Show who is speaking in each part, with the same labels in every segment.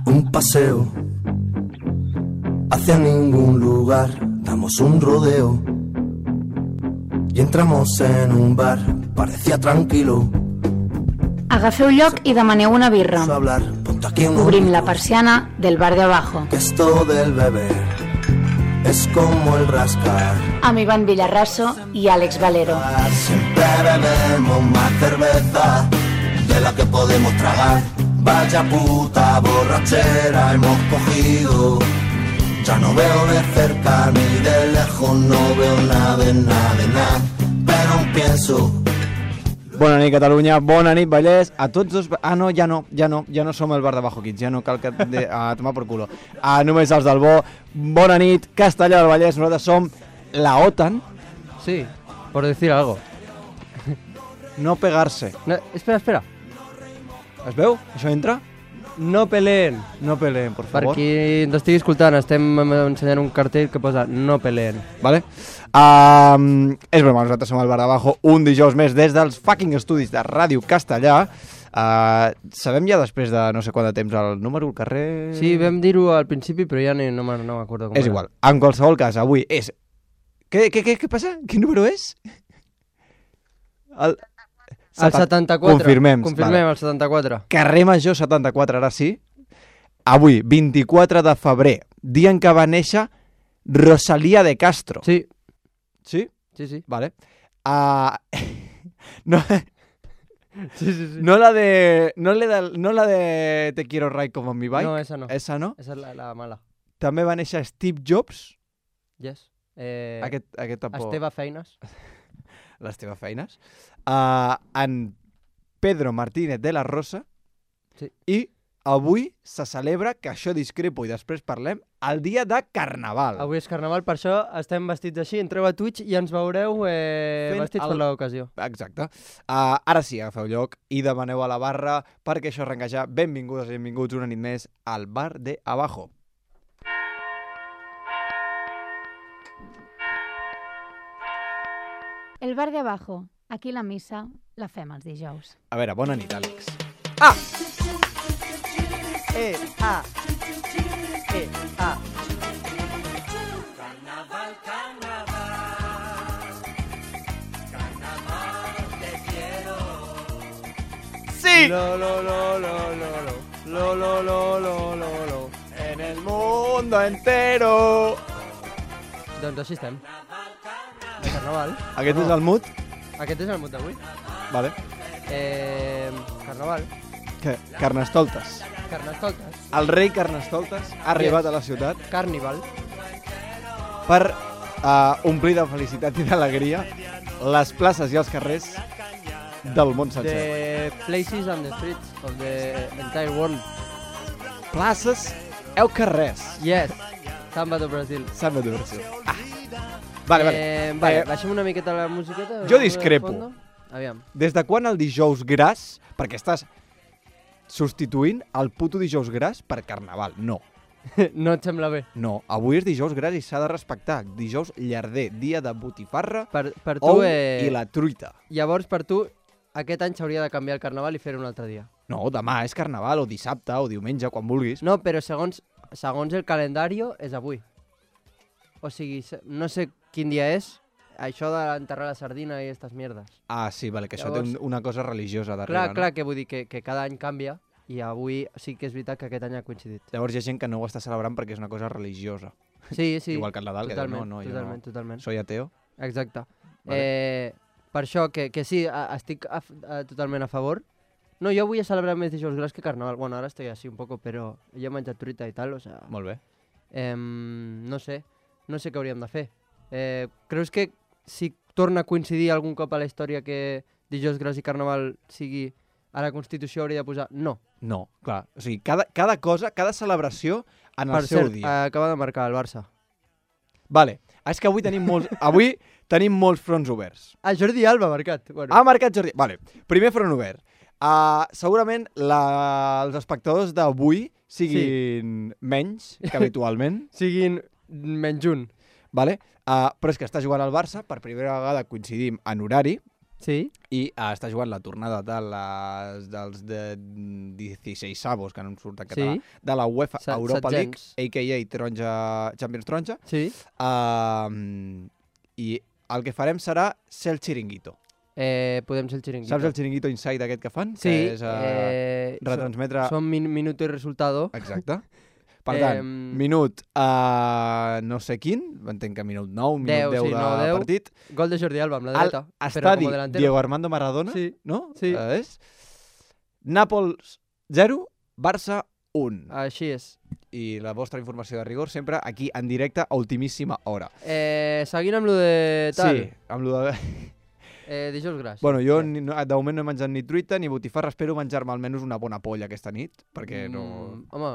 Speaker 1: Un paseo hacia ningún lugar, damos un rodeo y entramos en un bar, parecía tranquilo.
Speaker 2: Agafeu lloc i demaneu una birra. Obrim la persiana del bar de abajo.
Speaker 1: Que esto del beber es como el rascar.
Speaker 2: Amb Iván Villarraso y Àlex Valero.
Speaker 1: Siempre bebemos más cerveza de la que podemos tragar. Vaya puta borrachera hemos cogido. Ya no veo de cerca ni de lejos, no veo nada de nada, pero aún pienso.
Speaker 3: Bona nit, Catalunya, bona nit, Vallès, a tots dos... Ah, no, ja no som el bar de Bajo Kids, ja no cal que... A tomar por culo. Només els del bo. Bona nit, Castellà del Vallès, nosaltres som la OTAN.
Speaker 4: Sí, por decir algo.
Speaker 3: No pegarse.
Speaker 4: No, espera.
Speaker 3: Es veu? Això entra?
Speaker 4: No peleen.
Speaker 3: No peleen, por favor.
Speaker 4: Per qui ens estigui escoltant, estem ensenyant un cartell que posa no peleen.
Speaker 3: Vale? És broma, nosaltres som al bar d'abajo un dijous més des dels fucking estudis de Ràdio Castellà. Sabem ja després de no sé quant de temps el número, el carrer...
Speaker 4: Sí, vam dir-ho al principi, però ja no m'acordo com
Speaker 3: és
Speaker 4: era.
Speaker 3: igual, en qualsevol cas, avui és... Què passa? Quin número és?
Speaker 4: El 74.
Speaker 3: Confirmem,
Speaker 4: vale. El 74.
Speaker 3: Carrer Major 74, ara sí. Avui, 24 de febrer, dia en què va néixer Rosalía de Castro.
Speaker 4: Sí.
Speaker 3: Sí?
Speaker 4: Sí.
Speaker 3: Vale. No...
Speaker 4: Sí.
Speaker 3: No la de Te quiero ride como en mi bike.
Speaker 4: No, esa no.
Speaker 3: Esa no?
Speaker 4: Esa és la mala.
Speaker 3: També va néixer Steve Jobs.
Speaker 4: Yes.
Speaker 3: Aquest tampoc.
Speaker 4: Esteve Feines.
Speaker 3: L'Esteve Feines. En Pedro Martínez de la Rosa.
Speaker 4: Sí.
Speaker 3: I avui se celebra, que això discrepo i després parlem, el dia de Carnaval.
Speaker 4: Avui és Carnaval, per això estem vestits així. Entreu a Twitch i ens veureu vestits per l'ocasió.
Speaker 3: Exacte. Ara sí, agafeu lloc i demaneu a la barra perquè això arrenca ja. Benvingudes i benvinguts una nit més al bar de Abajo.
Speaker 2: El bar de abajo. Aquí la missa la fem els dijous.
Speaker 3: A veure, bona nit, Àlex.
Speaker 1: Carnaval, te quiero.
Speaker 3: Sí!
Speaker 4: Lo.
Speaker 3: En el mundo entero.
Speaker 4: Doncs així estem. De Carnaval.
Speaker 3: Aquest és el mood?
Speaker 4: Aquest és el mood d'avui.
Speaker 3: Vale.
Speaker 4: Carnaval.
Speaker 3: Què? Carnestoltes.
Speaker 4: Carnestoltes.
Speaker 3: El rei Carnestoltes ha arribat a la ciutat
Speaker 4: Carnival.
Speaker 3: per omplir de felicitat i d'alegria les places i els carrers del món sencer.
Speaker 4: The places and the streets of the entire world.
Speaker 3: Places e carrers.
Speaker 4: Yes. Samba do Brasil.
Speaker 3: Samba do Brasil. Vale.
Speaker 4: Baixem una miqueta la musiqueta.
Speaker 3: Jo discrepo.
Speaker 4: Aviam.
Speaker 3: Des de quan el dijous gras, perquè estàs substituint el puto dijous gras per Carnaval? No.
Speaker 4: No et sembla bé?
Speaker 3: No, avui és dijous gras i s'ha de respectar. Dijous llarder, dia de botifarra,
Speaker 4: Per tu,
Speaker 3: ou i la truita.
Speaker 4: Llavors, per tu, aquest any s'hauria de canviar el Carnaval i fer-ho un altre dia.
Speaker 3: No, demà és Carnaval, o dissabte, o diumenge, quan vulguis.
Speaker 4: No, però segons el calendari és avui. O sigui, no sé quin dia és, això d'enterrar la sardina i aquestes mierdes.
Speaker 3: Ah, sí, vale, que
Speaker 4: Llavors,
Speaker 3: això té una cosa religiosa darrere.
Speaker 4: Clar, que vull dir que cada any canvia i avui sí que és veritat que aquest any ha coincidit.
Speaker 3: Llavors hi ha gent que no ho està celebrant perquè és una cosa religiosa.
Speaker 4: Sí.
Speaker 3: Igual que el Nadal,
Speaker 4: totalment,
Speaker 3: que diu, no,
Speaker 4: totalment.
Speaker 3: soy ateo.
Speaker 4: Exacte.
Speaker 3: Vale.
Speaker 4: Per això que sí, estic totalment a favor. No, jo vull celebrar més dijous gras que Carnaval. Bueno, ara estic així un poco, però jo he menjat truita i tal, o sea...
Speaker 3: Molt bé.
Speaker 4: No sé què hauríem de fer. Creus que si torna a coincidir algun cop a la història que dijous gras i Carnaval sigui a la Constitució hauria de posar no?
Speaker 3: No, clar. O sigui, cada cosa, cada celebració en el seu dia.
Speaker 4: Acaba de marcar el Barça.
Speaker 3: Vale. És que avui tenim molts fronts oberts.
Speaker 4: Jordi Alba ha marcat. Bueno.
Speaker 3: Ha marcat Jordi... Vale. Primer front obert. Segurament els espectadors d'avui siguin menys que habitualment.
Speaker 4: Siguin menys un.
Speaker 3: Vale? Però és que està jugant al Barça, per primera vegada coincidim en horari,
Speaker 4: Sí.
Speaker 3: I està jugant la tornada dels 16 avos, que no em surt en català, de la UEFA Europa League, a.k.a. Champions Taronja.
Speaker 4: Sí.
Speaker 3: I el que farem serà ser el xiringuito.
Speaker 4: Podem ser el xiringuito.
Speaker 3: Saps el xiringuito inside aquest que fan?
Speaker 4: Sí.
Speaker 3: Que és retransmetre...
Speaker 4: Som minuto i resultado.
Speaker 3: Exacte. Per tant, minut no sé quin, entenc que minut 9, minut 10 de partit.
Speaker 4: Gol de Jordi Alba amb la dreta.
Speaker 3: Estadi Diego Armando Maradona, no?
Speaker 4: Sí.
Speaker 3: Nàpols 0, Barça 1.
Speaker 4: Així és.
Speaker 3: I la vostra informació de rigor sempre aquí en directe a ultimíssima hora.
Speaker 4: Seguint amb lo de tal.
Speaker 3: Sí, amb lo de...
Speaker 4: Dijous gras.
Speaker 3: Bueno, jo de moment no he menjat ni truita ni botifarra, espero menjar-me almenys una bona polla aquesta nit, perquè no...
Speaker 4: Home,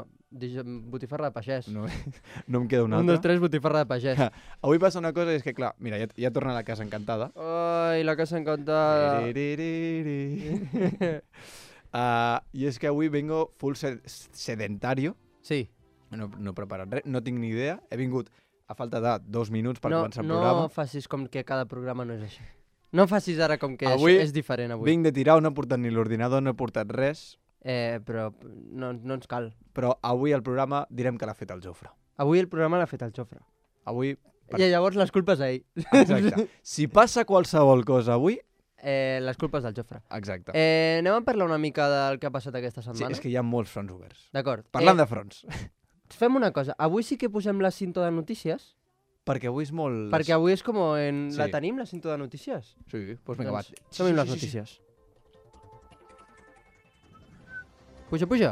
Speaker 4: botifarra de pagès.
Speaker 3: No em queda una altra.
Speaker 4: 1, 2, 3, botifarra de pagès.
Speaker 3: Avui passa una cosa, és que clar, mira, ja torna a la casa encantada.
Speaker 4: Ai, la casa encantada.
Speaker 3: I és que avui vengo full sedentario.
Speaker 4: Sí.
Speaker 3: No he preparat res, no tinc ni idea. He vingut a falta de 2 minuts per començar el programa.
Speaker 4: No facis com que cada programa no és així. No facis ara com que
Speaker 3: avui
Speaker 4: és diferent avui.
Speaker 3: Vinc de tirar, no he portat ni l'ordinador, no he portat res.
Speaker 4: Però no ens cal.
Speaker 3: Però avui el programa direm que l'ha fet el Jofre.
Speaker 4: Avui el programa l'ha fet el Jofre.
Speaker 3: Avui...
Speaker 4: I llavors les culpes a ell.
Speaker 3: Exacte. Si passa qualsevol cosa avui...
Speaker 4: les culpes del Jofre.
Speaker 3: Exacte.
Speaker 4: Anem a parlar una mica del que ha passat aquesta setmana?
Speaker 3: Sí, és que hi ha molts fronts oberts.
Speaker 4: D'acord.
Speaker 3: Parlant de fronts.
Speaker 4: Fem una cosa. Avui sí que posem la cinta de notícies.
Speaker 3: Perquè avui és molt...
Speaker 4: Perquè avui és com en... Sí. La tenim, la cinta de notícies?
Speaker 3: Sí, doncs vinga, va.
Speaker 4: Som-hi les notícies. Puja, puja.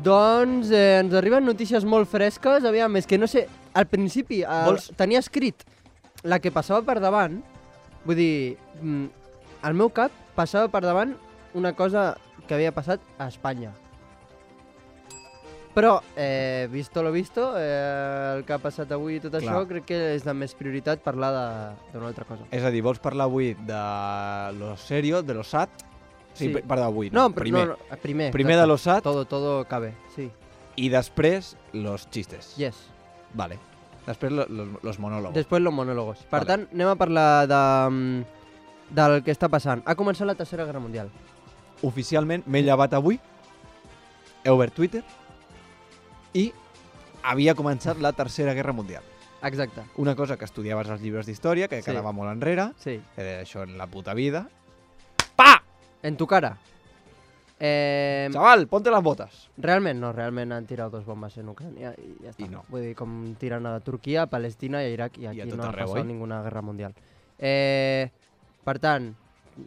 Speaker 4: Doncs ens arriben notícies molt fresques. Aviam, és que no sé... Al principi tenia escrit la que passava per davant. Vull dir, al meu cap passava per davant una cosa que havia passat a Espanya. Però, visto lo visto, el que ha passat avui i tot això, crec que és de més prioritat parlar d'una altra cosa.
Speaker 3: És a dir, vols parlar avui de lo serio, de lo sad? Sí, parlar avui,
Speaker 4: no?
Speaker 3: Primer de lo sad.
Speaker 4: Todo cabe, sí.
Speaker 3: I després, los chistes.
Speaker 4: Yes.
Speaker 3: Vale. Després, los monólogos.
Speaker 4: Després, los monólogos. Per tant, anem a parlar del que està passant. Ha començat la Tercera Guerra Mundial.
Speaker 3: Oficialment m'he llevat avui, he obert Twitter i havia començat la Tercera Guerra Mundial.
Speaker 4: Exacte.
Speaker 3: Una cosa que estudiaves als llibres d'història, que quedava molt enrere,
Speaker 4: sí.
Speaker 3: Això en la puta vida. Pa!
Speaker 4: En tu cara.
Speaker 3: Chaval, ponte las botas.
Speaker 4: Realment no, realment han tirat 2 bombes en Ucrània i ja està.
Speaker 3: I no.
Speaker 4: Vull dir, com tiren a Turquia, a Palestina i a Iraq i aquí no ha passat ninguna guerra mundial. Per tant,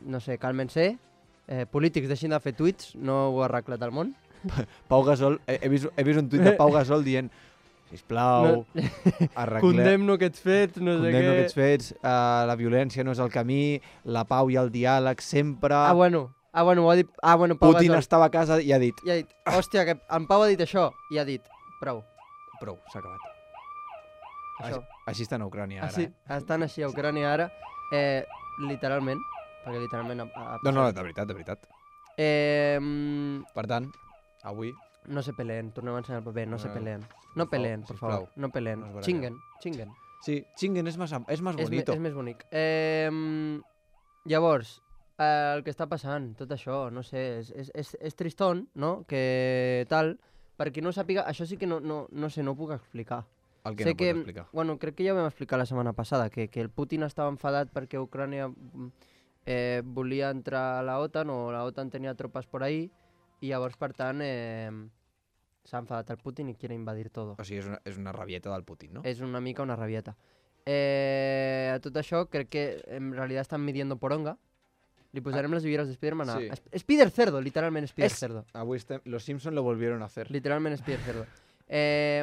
Speaker 4: no sé, càlmense. Polítics, deixin de fer tuits, no ho ha arreglat el món.
Speaker 3: Pau Gasol, he vist un tuit de Pau Gasol dient sisplau, arreglem...
Speaker 4: Condemno aquests fets, no sé què...
Speaker 3: Condemno aquests fets, la violència no és el camí, la pau i el diàleg sempre...
Speaker 4: Bueno, ho ha dit... Pau
Speaker 3: Putin
Speaker 4: Gasol
Speaker 3: estava a casa i ha dit...
Speaker 4: Hòstia, que en Pau ha dit això i ha dit, prou,
Speaker 3: s'ha acabat.
Speaker 4: Això.
Speaker 3: Així estan a Ucrània ara,
Speaker 4: Estan així a Ucrània ara, literalment, perquè literalment...
Speaker 3: No, de veritat. Per tant, avui...
Speaker 4: No se peleen, tornem a ensenyar el paper, no se peleen. No peleen, por favor, no peleen. Chinguen.
Speaker 3: Sí, chinguen és més bonito.
Speaker 4: És més bonic. Llavors, el que està passant, tot això, no sé, és tristón, no? Que tal, per qui no sàpiga, això sí que no sé, no ho puc explicar.
Speaker 3: El que no pots explicar?
Speaker 4: Bueno, crec que ja ho vam explicar la setmana passada, que el Putin estava enfadat perquè Ucrània volia entrar a la OTAN o la OTAN tenia tropes por ahí i llavors, per tant, s'ha enfadat el Putin i quiere invadir todo.
Speaker 3: O sigui, és una rabieta del Putin, no?
Speaker 4: És una mica una rabieta. A tot això, crec que en realitat estan midiendo poronga. Li posarem les ulleres de Spiderman a... Spider Cerdo, literalment Spider Cerdo.
Speaker 3: Avui los Simpsons lo volvieron a hacer.
Speaker 4: Literalment Spider Cerdo.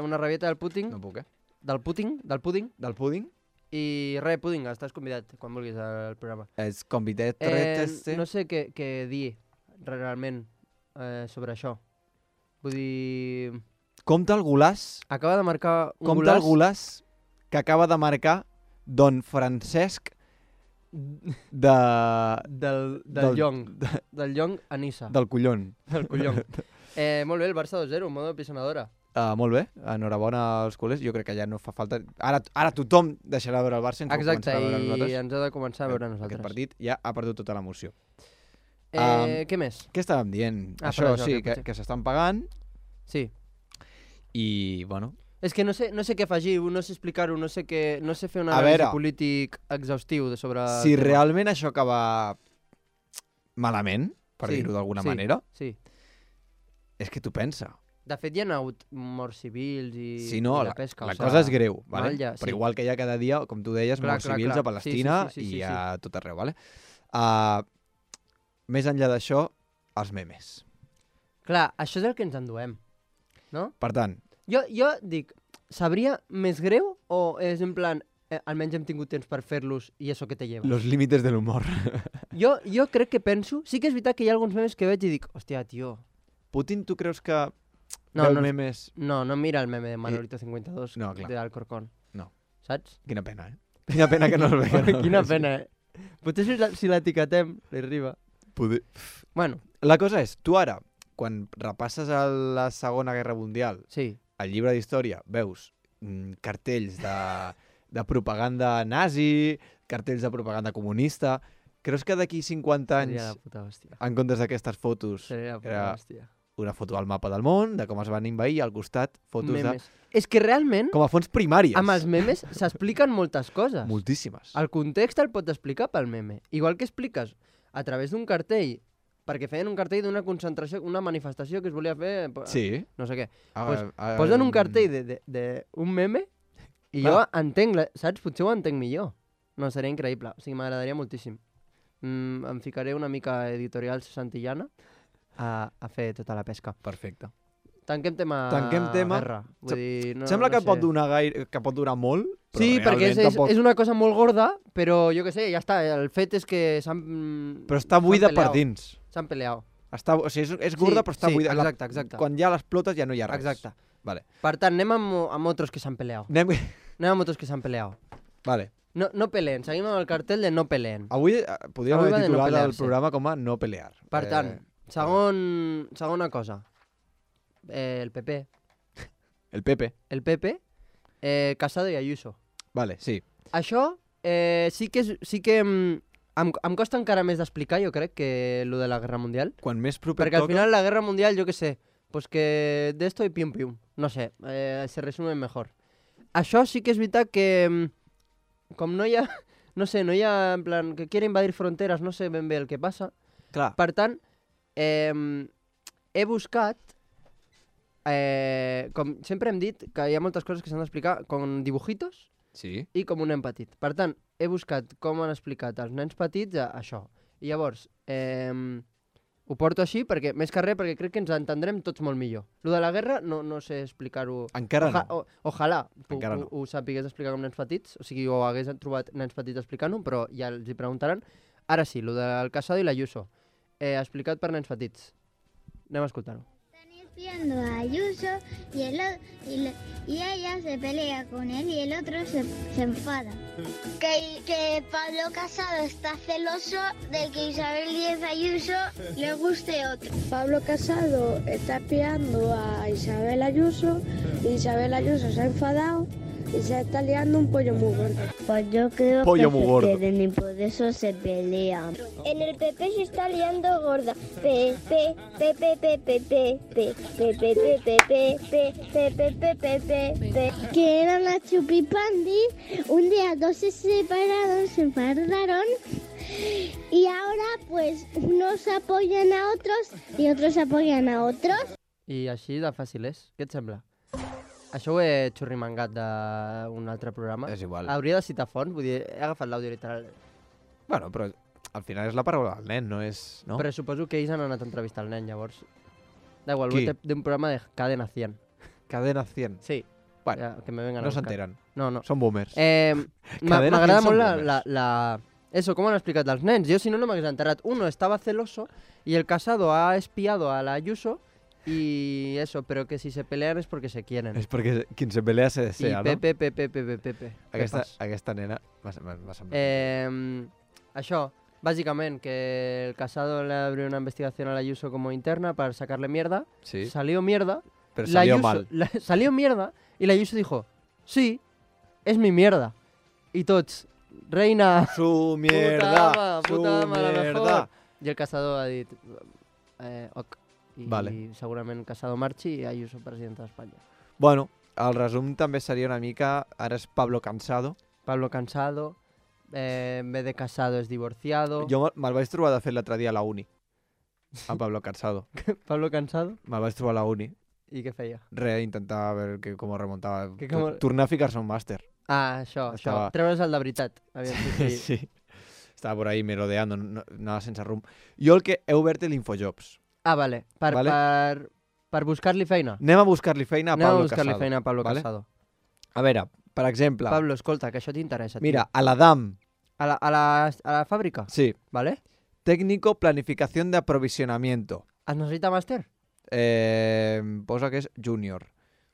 Speaker 4: Una rabieta del Putin.
Speaker 3: No puc,
Speaker 4: Del pudding.
Speaker 3: Del pudding?
Speaker 4: I res, pudding, estàs convidat quan vulguis al programa.
Speaker 3: És convidat.
Speaker 4: No sé què dir realment sobre això. Vull dir...
Speaker 3: Compte el golaç...
Speaker 4: Acaba de marcar un
Speaker 3: Compte el golaç que acaba de marcar Don Francesc
Speaker 4: del Llong. Del Llong a Nissa.
Speaker 3: Del collon.
Speaker 4: Del collon. Molt bé, el Barça 2-0, modo pisonadora.
Speaker 3: Molt bé, enhorabona als culers. Jo crec que ja no fa falta... Ara tothom deixarà de veure el Barça.
Speaker 4: Exacte, i ens ha de començar a veure nosaltres.
Speaker 3: Aquest partit ja ha perdut tota l'emoció.
Speaker 4: Què més?
Speaker 3: Què estàvem dient? Això, sí, que s'estan pagant.
Speaker 4: Sí.
Speaker 3: I, bueno...
Speaker 4: És que no sé què afegir, no sé explicar-ho, no sé fer un anàlisi polític exhaustiu sobre...
Speaker 3: Si realment això acaba malament, per dir-ho d'alguna manera, és que tu pensa.
Speaker 4: De fet, hi ha hagut morts civils i
Speaker 3: la pesca. La cosa és greu, vale? Però igual que hi ha cada dia, com tu deies, morts civils a Palestina i a tot arreu. Vale? Més enllà d'això, els memes.
Speaker 4: Clar, això és el que ens enduem, no?
Speaker 3: Per tant...
Speaker 4: Jo dic, sabria més greu o és en plan, almenys hem tingut temps per fer-los i això que te lleva?
Speaker 3: Los límites de l'humor.
Speaker 4: Jo crec que penso... Sí que és veritat que hi ha alguns memes que veig i dic, hòstia, tio...
Speaker 3: Putin, tu creus que... No memes...
Speaker 4: No mira el meme de Manolito 52 de Alcorcón.
Speaker 3: No.
Speaker 4: Saps?
Speaker 3: Quina pena, Quina pena que no el veiem.
Speaker 4: Quina pena, Potser si l'etiquetem, li arriba. Bueno.
Speaker 3: La cosa és, tu ara, quan repasses a la Segona Guerra Mundial, al llibre d'història, veus cartells de propaganda nazi, cartells de propaganda comunista... Creus que d'aquí 50 anys, en comptes d'aquestes fotos, era una foto al mapa del món, de com es van invair, al costat, fotos
Speaker 4: memes. És que realment...
Speaker 3: Com a fonts primàries.
Speaker 4: Amb els memes s'expliquen moltes coses.
Speaker 3: Moltíssimes.
Speaker 4: El context el pots explicar pel meme. Igual que expliques a través d'un cartell, perquè feien un cartell d'una concentració, una manifestació que es volia fer... No sé què. Posen un cartell d'un meme i jo entenc, saps? Potser ho entenc millor. No, seria increïble. O sigui, m'agradaria moltíssim. Em ficaré una mica editorial santillana a fer tota la pesca.
Speaker 3: Perfecte.
Speaker 4: Tanquem tema guerra. Vull dir,
Speaker 3: sembla que pot durar molt, però
Speaker 4: sí, perquè és una cosa molt gorda, però jo què sé, ja està. El fet és que s'han...
Speaker 3: Però està buida per dins.
Speaker 4: S'han peleat.
Speaker 3: O sigui, és gorda, però està buida.
Speaker 4: Exacte.
Speaker 3: Quan ja l'explotes ja no hi ha res.
Speaker 4: Exacte.
Speaker 3: Vale.
Speaker 4: Per tant, anem amb otros que s'han peleat. Anem amb otros que s'han peleat.
Speaker 3: Vale.
Speaker 4: No peleen, seguim amb el cartell de no peleen.
Speaker 3: Avui podríem haver titulat el programa com a no pelear.
Speaker 4: Per tant, segona cosa. El PP.
Speaker 3: El PP.
Speaker 4: Casado i Ayuso.
Speaker 3: Vale, sí.
Speaker 4: Això sí que em costa encara més d'explicar, jo crec, que lo de la Guerra Mundial.
Speaker 3: Quan més proper
Speaker 4: perquè al final la Guerra Mundial, jo què sé, pues que de esto y pium pium. No sé, se resume mejor. Això sí que és veritat que... Com no hi ha, en plan, que quiere invadir fronteres, no sé ben bé el que passa.
Speaker 3: Clar.
Speaker 4: Per tant, he buscat, com sempre hem dit, que hi ha moltes coses que s'han d'explicar com dibujitos i com un nen petit. Per tant, he buscat com han explicat els nens petits això. I llavors, ho porto així, perquè més que res, perquè crec que ens entendrem tots molt millor. Lo de la guerra no sé explicar-ho...
Speaker 3: Encara no.
Speaker 4: Ojalà ho sapigués explicar com nens petits, o sigui, o hagués trobat nens petits explicant-ho, però ja els hi preguntaran. Ara sí, lo del Casado i l'Ayuso, explicat per nens petits. Anem a escoltar-ho.
Speaker 5: Espiando a Ayuso y ella se pelea con él y el otro se enfada. Que Pablo Casado está celoso de que Isabel Díaz Ayuso le guste otro.
Speaker 6: Pablo Casado está espiando a Isabel Ayuso y Isabel Ayuso se ha enfadado y se está liando un pollo muy gordo.
Speaker 5: Pues yo creo que se quieren y por eso se pelean. En el PP se está liando gorda. Que era una chupipandi. Un día dos se separaron, se enfadaron. Y ahora pues unos apoyan a otros y otros apoyan a otros.
Speaker 4: I així de fàcil és. Què et sembla? Això ho he xurrimangat d'un altre programa.
Speaker 3: És igual.
Speaker 4: Hauria de citar fonts, vull dir, he agafat l'àudio literal.
Speaker 3: Bueno, però al final és la paraula del nen, no és... No?
Speaker 4: Però suposo que ells han anat a entrevistar el nen, llavors. Da igual, d'un programa de Cadena 100.
Speaker 3: Cadena 100?
Speaker 4: Sí.
Speaker 3: Bueno,
Speaker 4: ja, que me vengan
Speaker 3: no s'enteren.
Speaker 4: No.
Speaker 3: Són boomers.
Speaker 4: M'agrada molt Eso, com han explicat els nens. Jo, si no m'hagués enterat. Uno estaba celoso y el Casado ha espiado a la Ayuso. Y eso, pero que si se pelean es porque se quieren.
Speaker 3: És perquè qui se pelea se desea,
Speaker 4: no?
Speaker 3: I
Speaker 4: Pepe.
Speaker 3: Aquesta nena m'ha semblat.
Speaker 4: Això, básicamente, que el Casado le abrió una investigación a la Ayuso como interna para sacarle mierda.
Speaker 3: Sí.
Speaker 4: Salió mierda
Speaker 3: Pero salió mal.
Speaker 4: Salió mierda y la Ayuso dijo, sí, es mi mierda. Y tots, reina,
Speaker 3: Su mierda,
Speaker 4: puta
Speaker 3: su
Speaker 4: ama, la
Speaker 3: mierda.
Speaker 4: mejor. I el caçador ha dit, ok. I
Speaker 3: Vale.
Speaker 4: segurament Casado marxi i Ayuso presidenta d'Espanya.
Speaker 3: Bueno, el resum també seria una mica... Ara és Pablo Cansado.
Speaker 4: Pablo Cansado, en vez de casado es divorciado.
Speaker 3: Jo me'l vaig trobar, de fet, l'altre dia a la uni. A Pablo Cansado.
Speaker 4: Pablo Cansado,
Speaker 3: Me'l vaig trobar a la uni.
Speaker 4: i què feia?
Speaker 3: Intentar veure com ho remuntava.
Speaker 4: Que com-
Speaker 3: Tornar a ficar-se un màster.
Speaker 4: Ah, això.
Speaker 3: Estava-
Speaker 4: Treure's el de veritat. Aviam, sí.
Speaker 3: Sí. Estava por ahí merodeando, no, anava sense rumb. Jo el que he obert l'Infojobs.
Speaker 4: Ah, vale. Per buscar-li feina.
Speaker 3: Anem a buscar-li feina a
Speaker 4: Anem a
Speaker 3: Pablo
Speaker 4: buscar-li
Speaker 3: Casado.
Speaker 4: feina a Pablo
Speaker 3: vale?
Speaker 4: Casado.
Speaker 3: A veure, per exemple,
Speaker 4: Pablo, escolta, que això t'interessa.
Speaker 3: mira, a l'Adam,
Speaker 4: A la fàbrica,
Speaker 3: sí,
Speaker 4: ¿vale?
Speaker 3: técnico planificación de aprovisionamiento.
Speaker 4: Es necessita màster?
Speaker 3: Posa que és junior.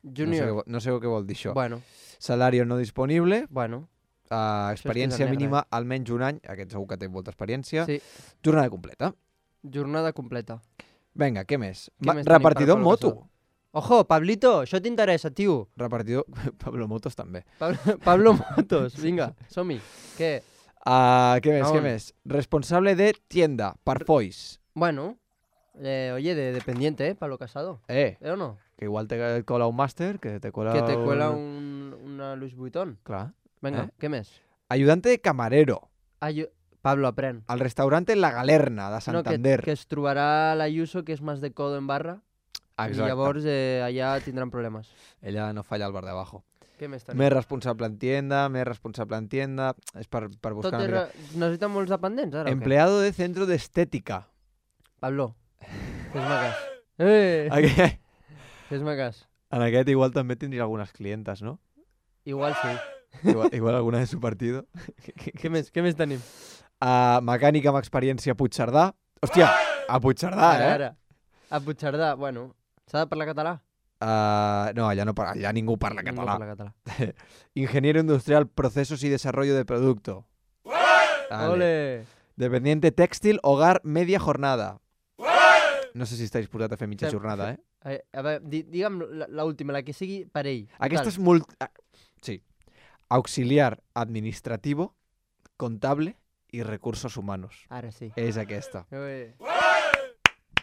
Speaker 4: Junior.
Speaker 3: No sé què vol dir això.
Speaker 4: Bueno,
Speaker 3: Salario no disponible,
Speaker 4: bueno.
Speaker 3: experiència
Speaker 4: és que és
Speaker 3: mínima almenys un any, aquest segur que té molta experiència,
Speaker 4: Sí,
Speaker 3: jornada completa.
Speaker 4: jornada completa.
Speaker 3: Vinga, què més?
Speaker 4: Què més tenim
Speaker 3: Repartidor
Speaker 4: per
Speaker 3: en
Speaker 4: Pablo
Speaker 3: moto.
Speaker 4: Casado? Ojo, Pablito, això t'interessa, tio.
Speaker 3: Repartidor... Pablo Motos també.
Speaker 4: Pablo Motos, vinga, som-hi. Què?
Speaker 3: Què més,
Speaker 4: A
Speaker 3: què
Speaker 4: on?
Speaker 3: més? Responsable de tienda, Parfois.
Speaker 4: Bueno, oye, de dependiente, Pablo Casado. ¿O no?
Speaker 3: Que igual te cola un máster, que te cola...
Speaker 4: Que te cuela una Louis Vuitton.
Speaker 3: Clar.
Speaker 4: Vinga, què més?
Speaker 3: Ayudante de camarero,
Speaker 4: Pablo, aprèn.
Speaker 3: al restaurante La Galerna, de
Speaker 4: No,
Speaker 3: Santander.
Speaker 4: que es trobarà l'Ayuso, que és més de codo en barra, i llavors allà tindran problemes.
Speaker 3: Ella no falla al bar de abajo.
Speaker 4: Què més tenim?
Speaker 3: Més responsable en tienda, és per buscar
Speaker 4: Tot
Speaker 3: una mica.
Speaker 4: necessita molts dependents, ara, o què?
Speaker 3: Empleado de centro de estética.
Speaker 4: Pablo, fes-me cas.
Speaker 3: Aquest,
Speaker 4: Fes-me cas.
Speaker 3: en aquest igual també tindria algunes clientes, no?
Speaker 4: Igual sí.
Speaker 3: Igual alguna de su partido.
Speaker 4: Què més tenim?
Speaker 3: Mecànica amb experiència a Puigcerdà. Hòstia, a Puigcerdà,
Speaker 4: Ara. A Puigcerdà, bueno, s'ha de parlar català?
Speaker 3: No, allà ningú parla
Speaker 4: Ningú
Speaker 3: català.
Speaker 4: parla català.
Speaker 3: Ingeniero industrial, procesos y desarrollo de producto. Vale.
Speaker 4: Ole!
Speaker 3: Dependiente textil, hogar, media jornada. No sé si està disposat a fer mitja
Speaker 4: Sí.
Speaker 3: jornada, eh?
Speaker 4: A veure, digue'm l'última, la que sigui per ell.
Speaker 3: Aquesta és sí. Auxiliar administrativo, contable y recursos humanos.
Speaker 4: Ara sí.
Speaker 3: És aquesta.
Speaker 4: Ui.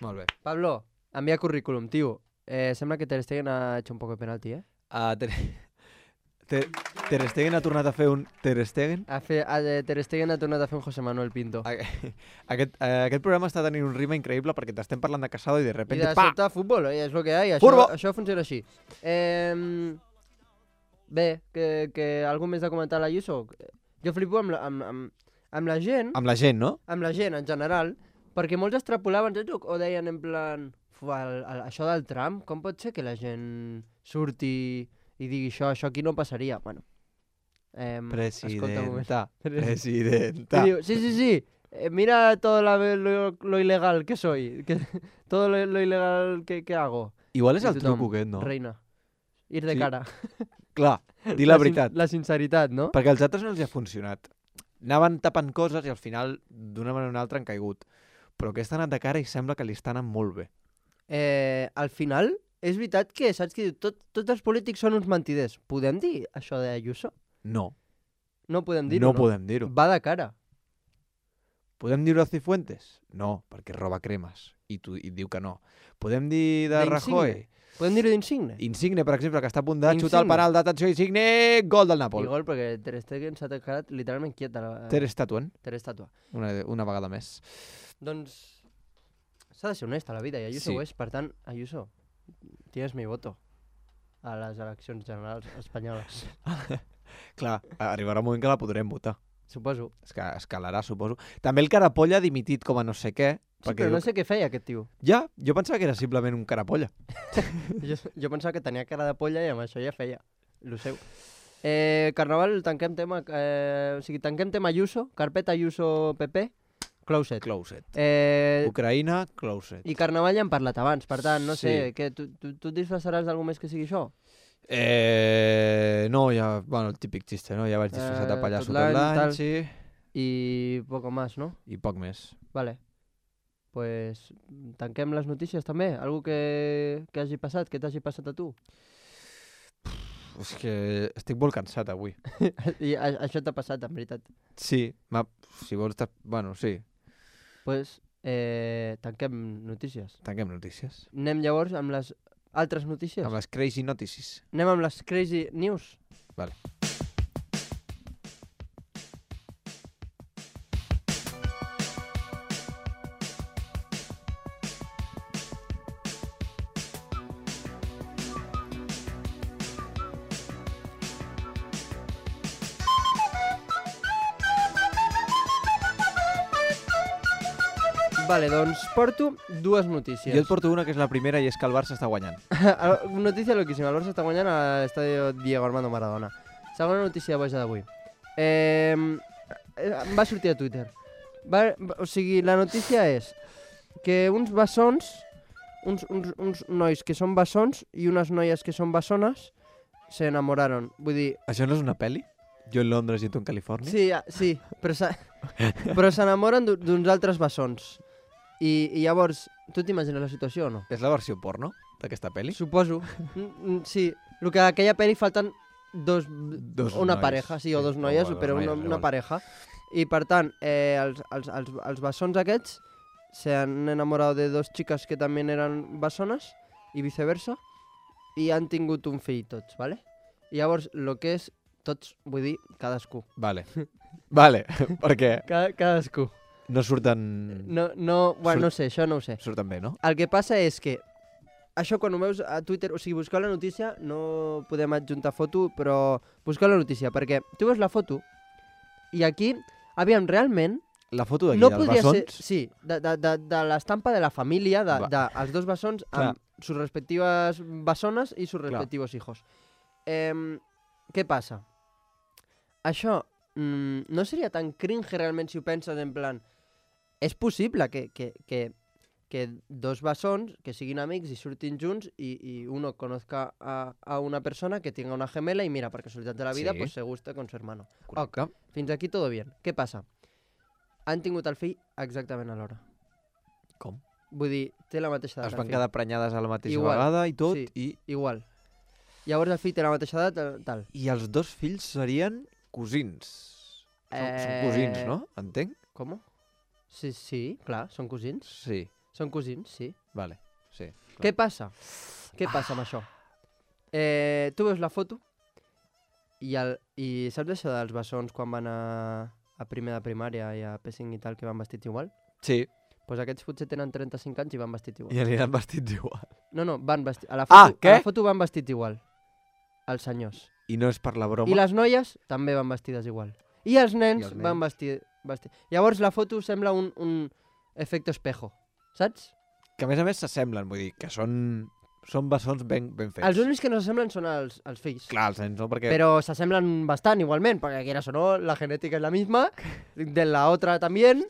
Speaker 3: Molt bé.
Speaker 4: Pablo, envia currículum, tio. Sembla que Ter Stegen ha hecho un poco de penalti, eh?
Speaker 3: Ter Stegen ha tornat a fer un Ter Stegen.
Speaker 4: Ter Stegen ha tornat a fer un José Manuel Pinto.
Speaker 3: Aquest programa està tenint un ritme increïble perquè t'estem parlant de Casado i de
Speaker 4: I
Speaker 3: repente,
Speaker 4: de
Speaker 3: pa!
Speaker 4: sobte futbol, és el que hi ha.
Speaker 3: Furbo!
Speaker 4: Això funciona així. Bé, que algú més de comentar a l'Ayuso? Jo flipo amb la gent,
Speaker 3: Amb la gent, no?
Speaker 4: amb la gent en general, perquè molts extrapolaven o deien en plan, això del Trump, com pot ser que la gent surti i digui això aquí no passaria? Bueno, escolta un moment.
Speaker 3: Presidenta.
Speaker 4: Y digo, sí, mira todo lo ilegal que soy, todo lo ilegal que hago.
Speaker 3: Igual és
Speaker 4: I
Speaker 3: el
Speaker 4: tothom,
Speaker 3: truco aquest, no?
Speaker 4: Reina, ir de
Speaker 3: Sí.
Speaker 4: cara.
Speaker 3: Clar, dir la veritat.
Speaker 4: La sinceritat, no?
Speaker 3: Perquè als altres no els hi ha funcionat. Anaven tapant coses i al final, d'una manera o una altra, han caigut. Però aquesta ha anat de cara i sembla que li està anant molt bé.
Speaker 4: Al final, és veritat que, saps què diu? Tots els polítics són uns mentiders. Podem dir això d'Ayuso?
Speaker 3: No.
Speaker 4: No podem dir-ho,
Speaker 3: No podem dir-ho.
Speaker 4: Va de cara.
Speaker 3: Podem dir-ho a Cifuentes? No, perquè roba cremes. I diu que no. Podem dir de
Speaker 4: D'Insigne?
Speaker 3: Rajoy?
Speaker 4: Podem dir-ho d'Insigne?
Speaker 3: Insigne, per exemple, que està a punt de
Speaker 4: Insigne.
Speaker 3: xutar el penal d'atenció Insigne, gol del
Speaker 4: I
Speaker 3: Nàpol.
Speaker 4: gol, perquè Ter Stegen s'ha quedat literalment quiet.
Speaker 3: Ter Stegen,
Speaker 4: Ter Estàtua.
Speaker 3: una vegada més.
Speaker 4: Doncs s'ha de ser honest a la vida i Ayuso
Speaker 3: Sí.
Speaker 4: ho és. Per tant, Ayuso, tienes mi voto a les eleccions generals espanyoles.
Speaker 3: Clar, arribarà un moment que la podrem votar.
Speaker 4: Suposo.
Speaker 3: És que escalarà, suposo. També el Carapolla ha dimitit com a no sé què.
Speaker 4: Sí,
Speaker 3: perquè
Speaker 4: però
Speaker 3: diu
Speaker 4: no sé què feia aquest tio.
Speaker 3: Ja, jo pensava que era simplement un Carapolla.
Speaker 4: Jo pensava que tenia cara de polla i amb això ja feia lo seu. Carnaval, tanquem tema... tanquem tema Ayuso, carpeta Ayuso PP, closet.
Speaker 3: Closet.
Speaker 4: Eh,
Speaker 3: Ucraïna, closet.
Speaker 4: I Carnaval ja hem parlat abans, per tant, no sé,
Speaker 3: Sí.
Speaker 4: que tu et disfressaràs d'algú més que sigui això?
Speaker 3: No, ja, bueno, el típic xiste, no? Ja vaig disfressat de pallasso
Speaker 4: tot
Speaker 3: tot
Speaker 4: l'any,
Speaker 3: l'any,
Speaker 4: tal.
Speaker 3: sí.
Speaker 4: I poco más, no?
Speaker 3: I poc més.
Speaker 4: Vale. pues, tanquem les notícies també. Algú que hagi passat, que t'hagi passat a tu.
Speaker 3: És que estic molt cansat avui.
Speaker 4: I això t'ha passat, en veritat.
Speaker 3: Sí, si vols... Bueno, sí.
Speaker 4: Pues, tanquem notícies.
Speaker 3: Tanquem notícies.
Speaker 4: Anem llavors amb les altres notícies?
Speaker 3: Amb les crazy notícies.
Speaker 4: Anem amb les crazy news?
Speaker 3: Vale.
Speaker 4: Vale, doncs porto dues notícies.
Speaker 3: Jo et porto una que és la primera i és que el Barça està guanyant.
Speaker 4: Notícia loquíssima. El Barça està guanyant a l'estadi Diego Armando Maradona. Segona notícia boja d'avui. Va sortir a Twitter. O sigui, la notícia és que uns bessons, uns nois que són bessons i unes noies que són bessones s'enamoraron. Vull dir...
Speaker 3: Això no és una pel·li? Jo en Londres i tu en Califòrnia?
Speaker 4: Sí, però s'enamoren d'uns altres bessons. I llavors, tu t'imagines la situació o no?
Speaker 3: És la versió porno d'aquesta pel·li?
Speaker 4: Suposo. Sí, el que aquella pel·li falten una
Speaker 3: nois.
Speaker 4: Pareja, sí, o dos noies, però una pareja. I per tant, els bessons aquests s'han enamorat de dos xiques que també eren bessones i viceversa i han tingut un fill tots, ¿vale? I llavors, el que és tots, vull dir, cadascú.
Speaker 3: Vale, perquè
Speaker 4: Cadascú.
Speaker 3: no surten...
Speaker 4: Bueno, no sé, això no ho sé.
Speaker 3: Surten bé, no?
Speaker 4: El que passa és que això quan ho veus a Twitter, o sigui, busqueu la notícia, no podem adjuntar foto, però busqueu la notícia, perquè tu veus la foto i aquí, aviam, realment...
Speaker 3: La foto d'aquí,
Speaker 4: no
Speaker 3: dels
Speaker 4: podria
Speaker 3: bessons...
Speaker 4: ser, sí, de l'estampa de la família, dels dos bessons, amb sus respectives bessones i sus respectivos hijos. Què passa? Això no seria tan cringe realment si ho penses en plan... És possible que dos bessons que siguin amics i surtin junts y uno conozca a una persona que tenga una gemela y mira, per casualitat de la vida, pues se gusta con su hermano.
Speaker 3: Correcte.
Speaker 4: Fins aquí todo bien. Què passa? Han tingut el fill exactament a l'hora.
Speaker 3: Com?
Speaker 4: Vull dir, té la mateixa edat.
Speaker 3: Es van quedar prenyades a la mateixa vegada i tot,
Speaker 4: sí, igual. Llavors el fill té la mateixa edat, tal.
Speaker 3: I els dos fills serien cosins. Són cosins, no? Entenc?
Speaker 4: Com? Sí, clar, són cosins.
Speaker 3: Sí.
Speaker 4: Són cosins, sí.
Speaker 3: Vale, sí. Clar.
Speaker 4: Què passa? Què passa amb això? Tu veus la foto i saps això dels bessons quan van a primer de primària i a P5 i tal, que van vestits igual?
Speaker 3: Sí.
Speaker 4: Doncs aquests potser tenen 35 anys i van vestits igual.
Speaker 3: I aniran vestits igual.
Speaker 4: No, van vestits... A la foto van vestits igual. Els senyors.
Speaker 3: I no és per la broma?
Speaker 4: I les noies també van vestides igual. I els nens van vestir... Llavors la foto sembla un efecte espejo, saps?
Speaker 3: Que a més s'assemblen, vull dir, que són bessons ben fets.
Speaker 4: Els únics que no s'assemblen són els fills.
Speaker 3: Clar, els nens no, perquè...
Speaker 4: Pero se assemblan bastant igualment, perquè quieras o no, la genética es la misma, de la otra también,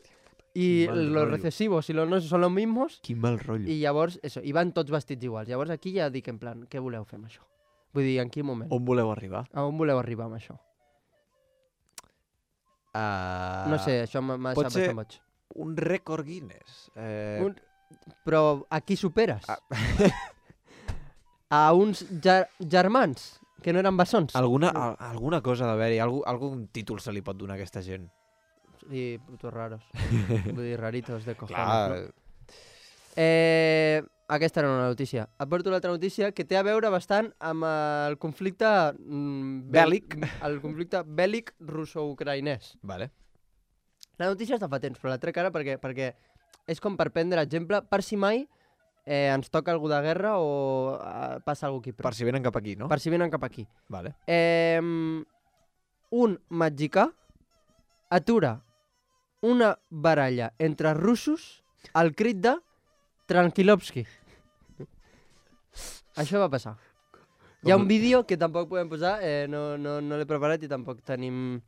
Speaker 4: y los recesivos y los no son los mismos.
Speaker 3: Quin mal rotllo.
Speaker 4: I llavors, eso, i van tots vestits iguals. Llavors aquí ja dic en plan, què voleu fer amb això? Vull dir, en quin moment?
Speaker 3: On voleu arribar?
Speaker 4: A on voleu arribar amb això? No sé, això m'ha deixat bastant boig.
Speaker 3: Un rècord Guinness.
Speaker 4: Però a qui superes? A uns germans que no eren bessons.
Speaker 3: Alguna cosa d'haver-hi, algun títol se li pot donar a aquesta gent.
Speaker 4: Sí, putos raros. Vull dir, raritos de cojones.
Speaker 3: Clar.
Speaker 4: No? Aquesta era una notícia. Et porto l'altra notícia que té a veure bastant amb el conflicte
Speaker 3: bèl·lic.
Speaker 4: El conflicte bèl·lic russo-ucraïnès.
Speaker 3: Vale.
Speaker 4: La notícia està fa temps, però la trec ara perquè és com per prendre exemple per si mai ens toca algú de guerra o passa algú aquí.
Speaker 3: Per si venen cap aquí, no?
Speaker 4: Per si venen cap aquí.
Speaker 3: Vale.
Speaker 4: Un mexicà atura una baralla entre russos al crit de Tranquilovski. Això va passar. Hi ha un vídeo que tampoc podem posar, no l'he preparat i tampoc tenim...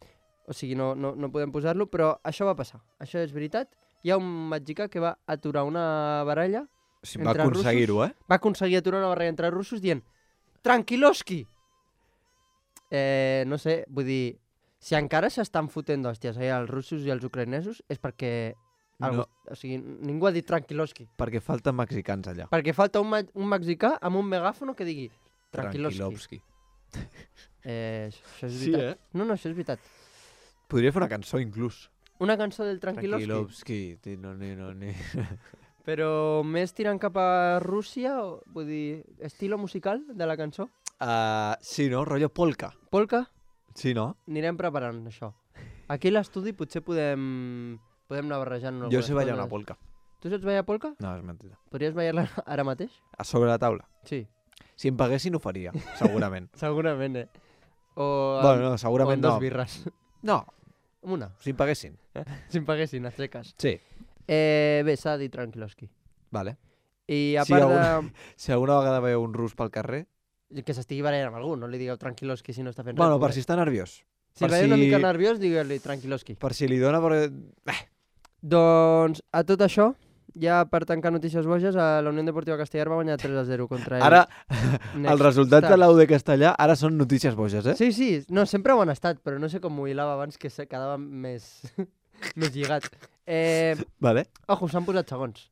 Speaker 4: O sigui, no podem posar-lo, però això va passar. Això és veritat. Hi ha un mexicà que va aturar una baralla
Speaker 3: entre russos. Va aconseguir-ho,
Speaker 4: Va aconseguir aturar una baralla entre russos dient Tranquilovski! No sé, vull dir, si encara s'estan fotent d'hòsties els russos i els ucraïnesos és perquè
Speaker 3: No.
Speaker 4: O sigui, ningú ha dit Tranquiloski.
Speaker 3: Perquè falten mexicans allà.
Speaker 4: Perquè falta un mexicà amb un megàfono que digui Tranquiloski. Això és
Speaker 3: Sí,
Speaker 4: veritat. No, això és veritat.
Speaker 3: Podria fer una cançó, inclús.
Speaker 4: Una cançó del Tranquiloski.
Speaker 3: No.
Speaker 4: Però més tirant cap a Rússia, vull dir, estilo musical de la cançó?
Speaker 3: Sí, no? Rotllo polka.
Speaker 4: Polka?
Speaker 3: Sí, no?
Speaker 4: Anirem preparant això. Aquí a l'estudi potser podem anar barrejant algunes
Speaker 3: Jo sé ballar
Speaker 4: coses.
Speaker 3: una polka.
Speaker 4: Tu saps ballar polka?
Speaker 3: No, és mentida.
Speaker 4: Podries ballar-la ara mateix?
Speaker 3: A sobre la taula.
Speaker 4: Sí.
Speaker 3: Si em paguessin, ho faria, segurament.
Speaker 4: Segurament, O
Speaker 3: Bueno, no,
Speaker 4: o
Speaker 3: segurament
Speaker 4: amb dos
Speaker 3: no.
Speaker 4: birres.
Speaker 3: No,
Speaker 4: Amb una,
Speaker 3: si em paguessin.
Speaker 4: si em paguessin, a seques.
Speaker 3: Sí.
Speaker 4: Bé, s'ha dit Tranquiloski.
Speaker 3: Vale.
Speaker 4: I a
Speaker 3: Si
Speaker 4: part
Speaker 3: Si alguna vegada veieu un rus pel carrer...
Speaker 4: que s'estigui barallant amb algú, no li digueu Tranquiloski si no està fent
Speaker 3: Bueno,
Speaker 4: res.
Speaker 3: per si està nerviós.
Speaker 4: Si
Speaker 3: per
Speaker 4: veieu una
Speaker 3: si-
Speaker 4: mica nerviós, digueu-li Tranquiloski.
Speaker 3: Per si li dona...
Speaker 4: Doncs, a tot això, ja per tancar notícies boges, la Unió Deportiva Castellar va guanyar 3-0 contra el
Speaker 3: Ara,
Speaker 4: Next
Speaker 3: els resultats de
Speaker 4: Stars.
Speaker 3: l'Au de Castellà ara són notícies boges, eh?
Speaker 4: Sí, sí, no, sempre ho han estat, però no sé com m'ho hilava abans que se quedava més, més lligat.
Speaker 3: Vale.
Speaker 4: Ojo, s'han posat segons.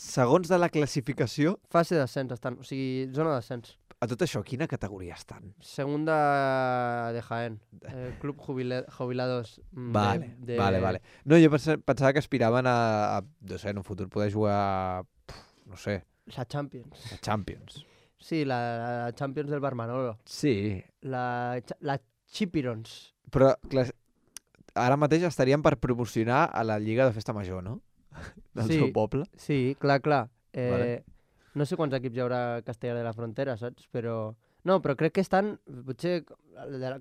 Speaker 3: Segons de la classificació,
Speaker 4: Fase d'ascens estan, o sigui, zona d'ascens.
Speaker 3: a tot això, quina categoria estan?
Speaker 4: Segunda de Jaén, Club Jubilados.
Speaker 3: Vale. No, jo pensava que aspiraven no sé, en un futur poder jugar, no sé,
Speaker 4: La Champions.
Speaker 3: a Champions.
Speaker 4: Sí, la Champions del Barmanolo.
Speaker 3: Sí,
Speaker 4: La Chipirons.
Speaker 3: però ara mateix estarien per promocionar a la Lliga de Festa Major, no? Del
Speaker 4: Sí.
Speaker 3: seu poble.
Speaker 4: Sí, clar.
Speaker 3: Vale.
Speaker 4: No sé quants equips hi haurà a Castellar de la Frontera, saps? Però... No, però crec que estan, potser,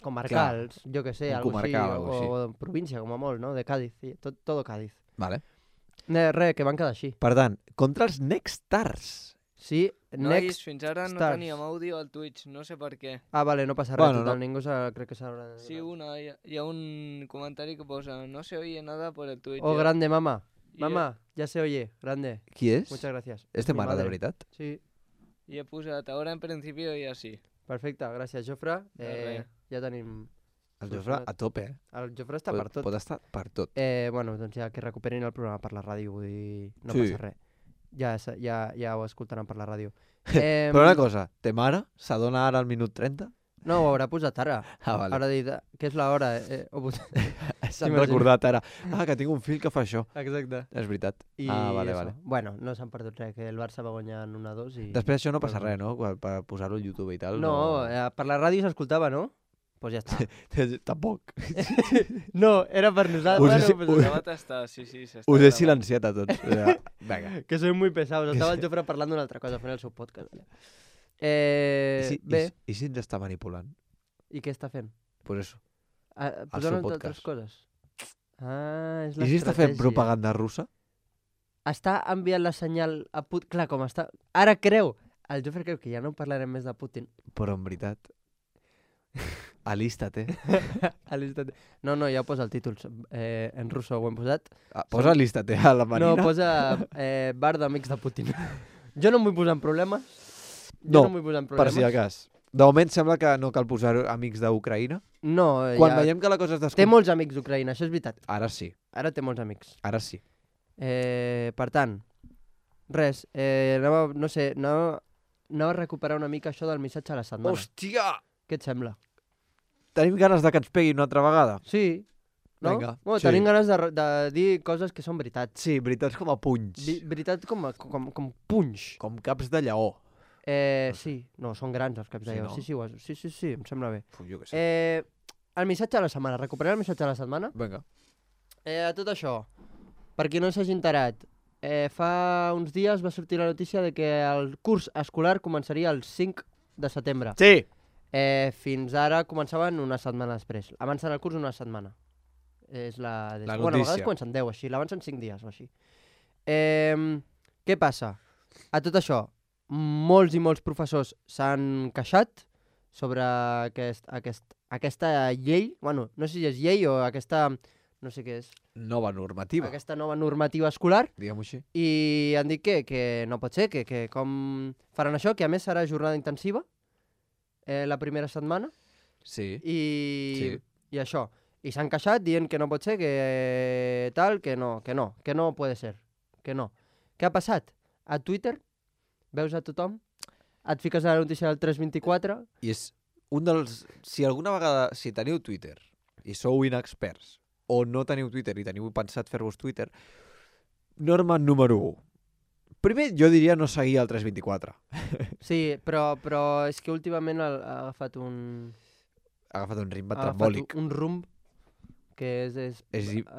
Speaker 4: comarcals, jo que sé,
Speaker 3: un
Speaker 4: algo
Speaker 3: comarcal, algo
Speaker 4: així, o província, com a molt, no? De Cádiz, sí, tot Cádiz.
Speaker 3: Vale.
Speaker 4: Res, que van quedar així.
Speaker 3: Per tant, contra els Next Stars.
Speaker 4: Sí,
Speaker 7: Nois,
Speaker 4: Next...
Speaker 7: fins ara no
Speaker 4: Stars.
Speaker 7: teníem àudio al Twitch, no sé per què.
Speaker 4: Ah, vale, no passa res,
Speaker 3: Bueno,
Speaker 4: total,
Speaker 3: no.
Speaker 4: ningú crec que s'haurà de...
Speaker 7: Sí, hi ha un comentari que posa no se oye nada por el Twitch.
Speaker 4: Oh, grande, mamá.
Speaker 7: I
Speaker 4: Mamá, ya se oye, grande.
Speaker 3: Qui és?
Speaker 4: Muchas gracias.
Speaker 3: És de
Speaker 4: Mi
Speaker 3: mare, de
Speaker 4: madre.
Speaker 3: veritat?
Speaker 4: Sí,
Speaker 7: he posat ahora en principio i així.
Speaker 4: perfecte, gràcies, Jofre.
Speaker 7: res.
Speaker 4: Ja tenim...
Speaker 3: El Jofre a tope, eh?
Speaker 4: El Jofre està per tot.
Speaker 3: Pot estar per tot.
Speaker 4: Bueno, doncs ja que recuperin el programa per la ràdio, vull dir, no
Speaker 3: Sí.
Speaker 4: passa res. Ja ho escoltaran per la ràdio.
Speaker 3: Però una cosa, te mare s'adona ara al minut 30?
Speaker 4: No, ho haurà posat ara.
Speaker 3: Ah, vale.
Speaker 4: Haurà dit que és l'hora.
Speaker 3: S'han
Speaker 4: m'imagino.
Speaker 3: recordat ara. Ah, que tinc un fill que fa això.
Speaker 4: Exacte.
Speaker 3: És veritat.
Speaker 4: I
Speaker 3: Vale,
Speaker 4: això.
Speaker 3: vale.
Speaker 4: Bueno, no s'han perdut res, que el Barça va guanyar en 1-2 i...
Speaker 3: Després això no passa
Speaker 4: Bueno.
Speaker 3: res, no? Per posar-ho al YouTube i tal.
Speaker 4: No, per la ràdio s'escoltava, no? Pues ja està.
Speaker 3: Tampoc.
Speaker 4: No, era per nosaltres.
Speaker 3: Us he-
Speaker 4: Bueno, pues,
Speaker 7: Ja va tastar, sí, s'està
Speaker 3: Us he
Speaker 7: gravant.
Speaker 3: silenciat a tots. Vinga.
Speaker 4: que soy muy pesados. Estava el Jofre parlant d'una altra cosa, fent el seu podcast. Vale. Bé,
Speaker 3: I si ens està manipulant?
Speaker 4: i què està fent?
Speaker 3: Pues eso.
Speaker 4: Posant
Speaker 3: seu
Speaker 4: altres
Speaker 3: podcast.
Speaker 4: coses. És
Speaker 3: I si està fent
Speaker 4: l'estratègia.
Speaker 3: propaganda russa?
Speaker 4: Està enviant la senyal a Putin. Clar, com està... Ara creu. El Jofre creu que ja no parlarem més de Putin.
Speaker 3: Però en veritat... Alístate.
Speaker 4: No, ja ho posa el títol. En russo ho hem posat.
Speaker 3: Posa alístate a la Marina.
Speaker 4: No, posa bar d'amics de Putin. Jo no em vull posar en problemes.
Speaker 3: No,
Speaker 4: em vull posar en
Speaker 3: per
Speaker 4: problemes.
Speaker 3: si de cas. De moment sembla que no cal posar amics d'Ucraïna.
Speaker 4: No,
Speaker 3: Quan
Speaker 4: ja...
Speaker 3: veiem que la cosa es
Speaker 4: Té
Speaker 3: descompon...
Speaker 4: molts amics d'Ucraïna, això és veritat.
Speaker 3: Ara sí,
Speaker 4: Ara té molts amics.
Speaker 3: ara sí.
Speaker 4: Per tant, res, anava a recuperar una mica això del missatge a la setmana.
Speaker 3: Hòstia!
Speaker 4: Què et sembla?
Speaker 3: Tenim ganes de que ens peguin una altra vegada?
Speaker 4: Sí, no?
Speaker 3: Vinga,
Speaker 4: Bueno,
Speaker 3: sí.
Speaker 4: tenim ganes de dir coses que són veritats.
Speaker 3: Sí, veritats com a punys.
Speaker 4: Veritats com punys.
Speaker 3: Com caps de lleó.
Speaker 4: Sí, no, són grans els caps de
Speaker 3: Sí,
Speaker 4: lleó.
Speaker 3: no?
Speaker 4: Sí, em sembla bé.
Speaker 3: Jo què sé.
Speaker 4: El missatge de la setmana, recuperar el missatge de la setmana.
Speaker 3: Vinga.
Speaker 4: A tot això, per qui no s'hagi enterat, fa uns dies va sortir la notícia de que el curs escolar començaria el 5 de setembre.
Speaker 3: Sí!
Speaker 4: Fins ara començaven una setmana després. Avancen el curs una setmana. És la...
Speaker 3: La
Speaker 4: Bueno, a vegades
Speaker 3: notícia.
Speaker 4: comencen 10 així, l'avancen 5 dies o així. Què passa? A tot això, molts i molts professors s'han queixat sobre aquesta llei, bueno, no sé si és llei o aquesta, no sé què és,
Speaker 3: Nova normativa,
Speaker 4: aquesta nova normativa escolar,
Speaker 3: diguem-ho així.
Speaker 4: i han dit que no pot ser, que com faran això, que a més serà jornada intensiva la primera setmana,
Speaker 3: Sí.
Speaker 4: i això. I s'han queixat dient que no pot ser, que tal, que no puede ser, que no. Què ha passat? A Twitter, veus a tothom, et fiques a la notícia del 324...
Speaker 3: I és un dels... Si alguna vegada, si teniu Twitter i sou inexperts, o no teniu Twitter i teniu pensat fer-vos Twitter, norma número 1. Primer, jo diria no seguir el 324.
Speaker 4: Sí, però és que últimament ha agafat un...
Speaker 3: Ha agafat un ritme
Speaker 4: ha
Speaker 3: trambòlic.
Speaker 4: agafat un rumb que és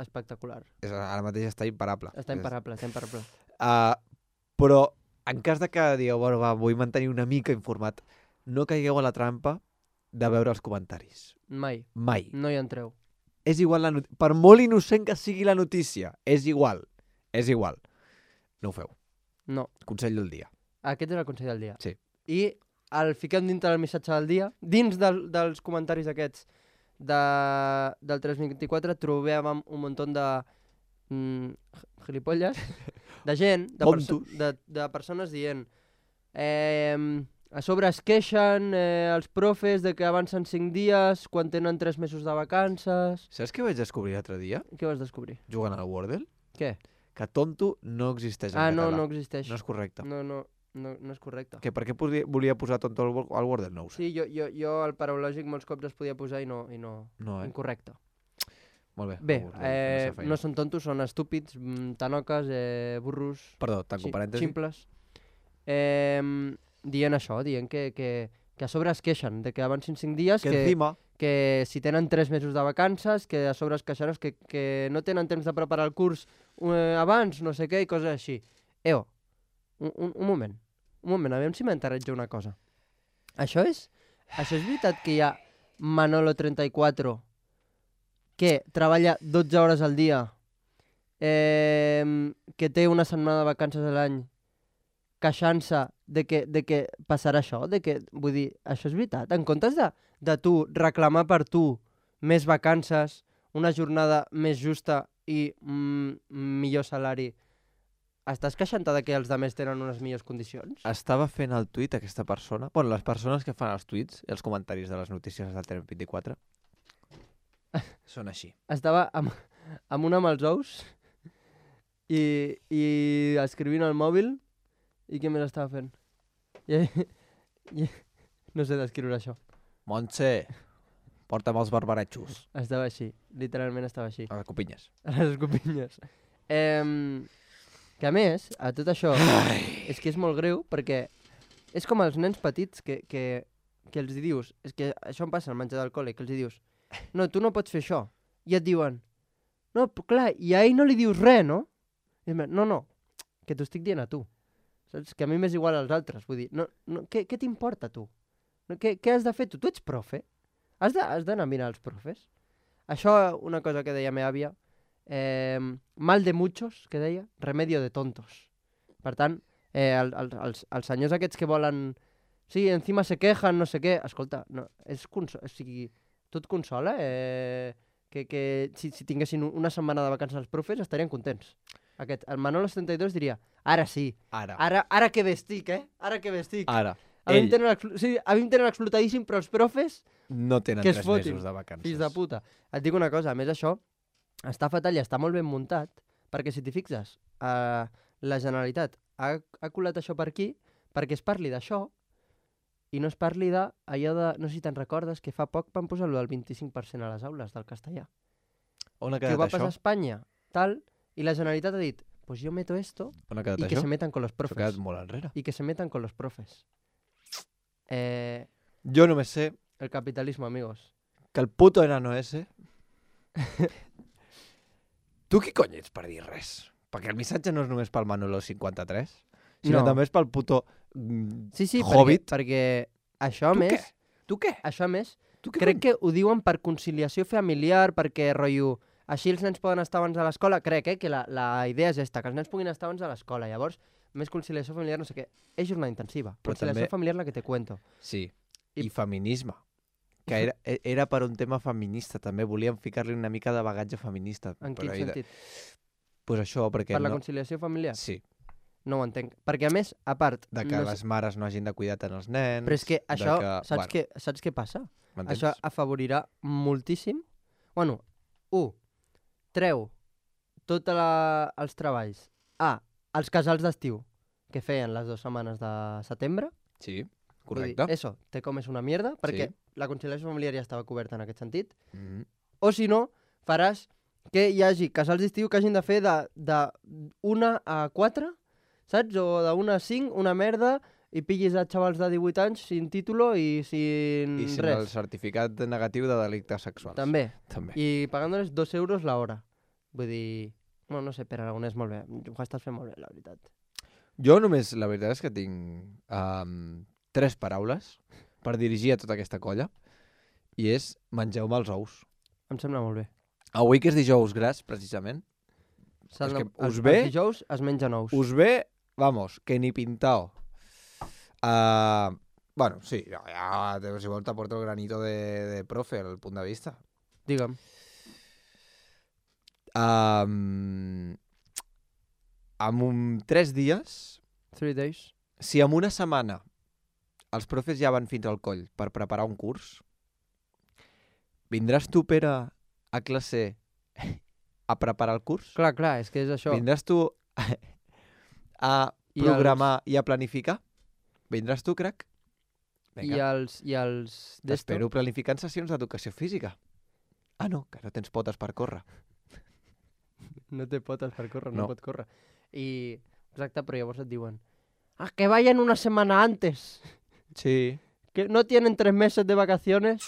Speaker 4: espectacular.
Speaker 3: Ara mateix està imparable.
Speaker 4: Està imparable.
Speaker 3: Però en cas de que digueu, bueno, va, vull mantenir una mica informat, no caigueu a la trampa de veure els comentaris.
Speaker 4: Mai.
Speaker 3: Mai.
Speaker 4: No hi entreu.
Speaker 3: És igual per molt innocent que sigui la notícia, és igual. No ho feu.
Speaker 4: No.
Speaker 3: Consell del dia.
Speaker 4: Aquest és el consell del dia.
Speaker 3: Sí.
Speaker 4: I el fiquem dintre del missatge del dia, dins dels comentaris aquests del 324, trobàvem un munt de gilipolles, de gent, de persones dient a sobre es queixen els profes de que avancen 5 dies quan tenen 3 mesos de vacances...
Speaker 3: Saps què vaig descobrir l'altre dia?
Speaker 4: Què vas descobrir?
Speaker 3: Jugant al Wordle?
Speaker 4: Què?
Speaker 3: Que tonto no existeix en català.
Speaker 4: No existeix.
Speaker 3: No és correcte.
Speaker 4: No és correcte.
Speaker 3: Per què volia posar tonto al Wordle? No ho sé.
Speaker 4: Sí, jo al paraulògic molts cops es podia posar i no. Incorrecte.
Speaker 3: Molt bé.
Speaker 4: Bé, no són tontos, són estúpids, tanoques, burros...
Speaker 3: Perdó, tanco parèntesi.
Speaker 4: Ximples. Dient això, dient que a sobre es queixen de que avancin 5 dies, que si tenen 3 mesos de vacances, que a sobre es queixen que no tenen temps de preparar el curs abans, no sé què, i coses així. Un moment, aviam si m'enterretjo una cosa. Això és veritat que hi ha Manolo34 que treballa 12 hores al dia, que té una setmana de vacances a l'any, queixant-se de que passarà això? Vull dir, això és veritat? En comptes de tu reclamar per tu més vacances, una jornada més justa i millor salari, estàs queixant-te de que els altres tenen unes millors condicions?
Speaker 3: Estava fent el tuit aquesta persona, bueno, les persones que fan els tuits i els comentaris de les notícies del 324 són així.
Speaker 4: Estava amb una amb els ous i escrivint al mòbil. I què més estava fent? No sé descriure això.
Speaker 3: Montse, porta'm els barbaretxos.
Speaker 4: Estava així, literalment estava així.
Speaker 3: A les copinyes.
Speaker 4: A les copinyes. Que a més, a tot això, és que és molt greu perquè és com els nens petits que els dius, és que això em passa al menjar del col·le, que els dius, no, tu no pots fer això. I et diuen, no, clar, i a ell no li dius res, no? I no, que t'ho estic dient a tu. Saps? Que a mi m'és igual als altres. Vull dir, què t'importa tu? Què has de fer tu? Tu ets profe? Has d'anar a mirar els profes? Això, una cosa que deia meva àvia, mal de muchos, que deia, remedio de tontos. Per tant, els senyors aquests que volen... Sí, encima se quejan, no sé què... Escolta, no, o sigui, tu et consola que si tinguessin una setmana de vacances els profes estarien contents. El Manolo72 diria, ara sí, ara que bé estic, Ara que bé estic.
Speaker 3: Ara,
Speaker 4: a mi em tenen explotadíssim, però els profes...
Speaker 3: No tenen 3 mesos de vacances.
Speaker 4: Fills de puta. Et dic una cosa, a més això, està fatal i està molt ben muntat, perquè si t'hi fixes, la Generalitat ha colat això per aquí, perquè es parli d'això, i no es parli d'allò de... No sé si te'n recordes, que fa poc van posar-lo del 25% a les aules del castellà.
Speaker 3: On ha
Speaker 4: quedat això? Que ho va passar a Espanya, tal... I la Generalitat ha dit, pues yo meto esto y que se metan con los profes.
Speaker 3: S'ha quedat molt enrere.
Speaker 4: Y que se metan con los profes.
Speaker 3: Jo només sé...
Speaker 4: El capitalismo, amigos.
Speaker 3: Que el puto enano ese... Tu qui cony ets per dir res? Perquè el missatge no és només pel Manolo 53, sinó també és pel puto Hobbit.
Speaker 4: Perquè això a més...
Speaker 3: Tu què?
Speaker 4: Això a més, crec que ho diuen per conciliació familiar, perquè, rotllo... Així els nens poden estar abans a l'escola, crec que la idea és esta, que els nens puguin estar abans a l'escola. Llavors, més conciliació familiar, no sé què. És jornada intensiva. Però conciliació familiar la que te cuento.
Speaker 3: Sí, i feminisme. Que era per un tema feminista, també. Volíem ficar-li una mica de bagatge feminista.
Speaker 4: En quin sentit?
Speaker 3: Pues això, perquè...
Speaker 4: Per la conciliació familiar?
Speaker 3: Sí.
Speaker 4: No ho entenc. Perquè, a més, a part...
Speaker 3: De que les mares no hagin de cuidar tant els nens...
Speaker 4: Però és que això, saps què passa? Això afavorirà moltíssim... Bueno, 1. Treu tots els treballs als casals d'estiu que feien les 2 setmanes de setembre.
Speaker 3: Sí,
Speaker 4: Vull dir,
Speaker 3: correcte.
Speaker 4: eso, te comes una mierda, perquè
Speaker 3: Sí.
Speaker 4: la conciliació familiar ja estava coberta en aquest sentit.
Speaker 3: Mm.
Speaker 4: O si no, faràs que hi hagi casals d'estiu que hagin de fer de 1 a 4, saps? O de 1 a 5, una merda, i pillis a xavals de 18 anys sin título i sin
Speaker 3: I sin
Speaker 4: res.
Speaker 3: el certificat negatiu de delictes sexuals.
Speaker 4: També.
Speaker 3: També.
Speaker 4: I pagant-los 2 euros l'hora. Vull dir... Bueno, no sé, per Aragonès molt bé. Ho estàs fent molt bé, la veritat.
Speaker 3: Jo només, la veritat és que tinc 3 paraules per dirigir a tota aquesta colla i és mengeu-me els ous.
Speaker 4: Em sembla molt bé.
Speaker 3: Avui que és dijous gras, precisament, és que us ve...
Speaker 4: Els dijous es mengen ous.
Speaker 3: Us ve, vamos, que ni pintao. Bueno, sí, ja si vols t'aporto el granito de profe, el punt de vista.
Speaker 4: Digue'm.
Speaker 3: Amb 3 dies,
Speaker 4: 3 days.
Speaker 3: si en una setmana els profes ja van fins al coll per preparar un curs, vindràs tu, Pere, a classe a preparar el curs?
Speaker 4: Clar, és que és això.
Speaker 3: Vindràs tu a programar i a planificar? Vindràs tu, crac?
Speaker 4: I els
Speaker 3: T'espero planificant sessions d'educació física. Ah, no, que no tens potes per córrer.
Speaker 4: No té potes per córrer,
Speaker 3: No.
Speaker 4: no pot córrer. I, exacte, però llavors et diuen que vayan una semana antes,
Speaker 3: Sí.
Speaker 4: que no tienen 3 meses de vacaciones.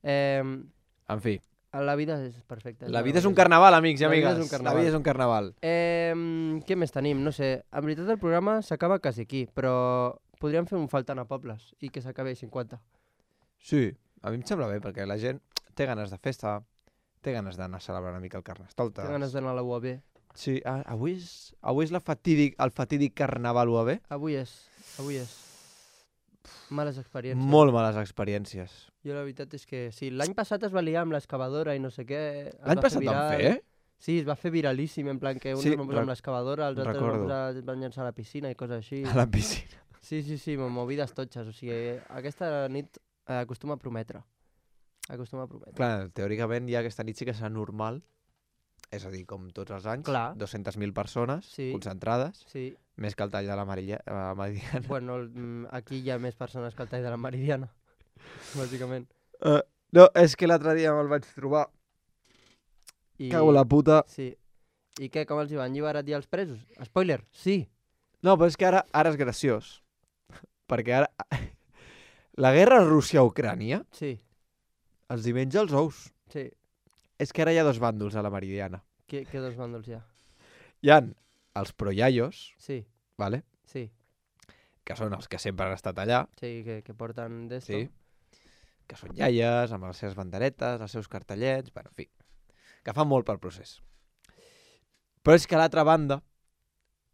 Speaker 3: En fi,
Speaker 4: La vida és perfecta.
Speaker 3: la vida és un carnaval, amics i
Speaker 4: La vida
Speaker 3: amigues.
Speaker 4: és un carnaval.
Speaker 3: La vida és un carnaval.
Speaker 4: Què més tenim? No sé, en veritat el programa s'acaba quasi aquí, però podríem fer un faltant a pobles i que s'acabi a 50.
Speaker 3: Sí, a mi em sembla bé, perquè la gent té ganes de festa, té ganes d'anar a celebrar una mica el Carnestoltes.
Speaker 4: Té ganes d'anar a la UAB.
Speaker 3: Sí, avui és el fatídic carnaval UAB.
Speaker 4: Avui és. Males experiències.
Speaker 3: Molt males experiències.
Speaker 4: Jo la veritat és que sí, l'any passat es va liar amb l'excavadora i no sé què.
Speaker 3: L'any passat van fer,
Speaker 4: Sí, es va fer viralíssim, en plan que uns
Speaker 3: Sí,
Speaker 4: es van posar amb l'excavadora, els altres
Speaker 3: recordo.
Speaker 4: van llançar a la piscina i coses així.
Speaker 3: A la piscina.
Speaker 4: Sí, movides totxes. O sigui, aquesta nit acostuma a prometre.
Speaker 3: Clar, teòricament ja aquesta nit sí que serà normal, és a dir, com tots els anys,
Speaker 4: Clar.
Speaker 3: 200.000 persones
Speaker 4: Sí.
Speaker 3: concentrades,
Speaker 4: Sí.
Speaker 3: més que el tall de la Meridiana.
Speaker 4: Bueno, aquí hi ha més persones que el tall de la Meridiana, bàsicament.
Speaker 3: No, és que l'altre dia me'l vaig trobar. Cago la puta.
Speaker 4: Sí. I què, com els hi van alliberar ja els presos? Spoiler, sí.
Speaker 3: No, però és que ara és graciós. Perquè ara... La guerra Rússia-Ucrània
Speaker 4: Sí,
Speaker 3: els hi menja els ous.
Speaker 4: sí.
Speaker 3: És que ara hi ha 2 bàndols a la Meridiana.
Speaker 4: Què 2 bàndols hi ha?
Speaker 3: Hi ha els proiaios,
Speaker 4: Sí,
Speaker 3: vale?
Speaker 4: sí.
Speaker 3: Que són els que sempre han estat allà,
Speaker 4: Sí, que porten d'esto.
Speaker 3: sí? Que són iaies, amb les seves banderetes, els seus cartellets, bueno, en fi, que fan molt pel procés. Però és que a l'altra banda,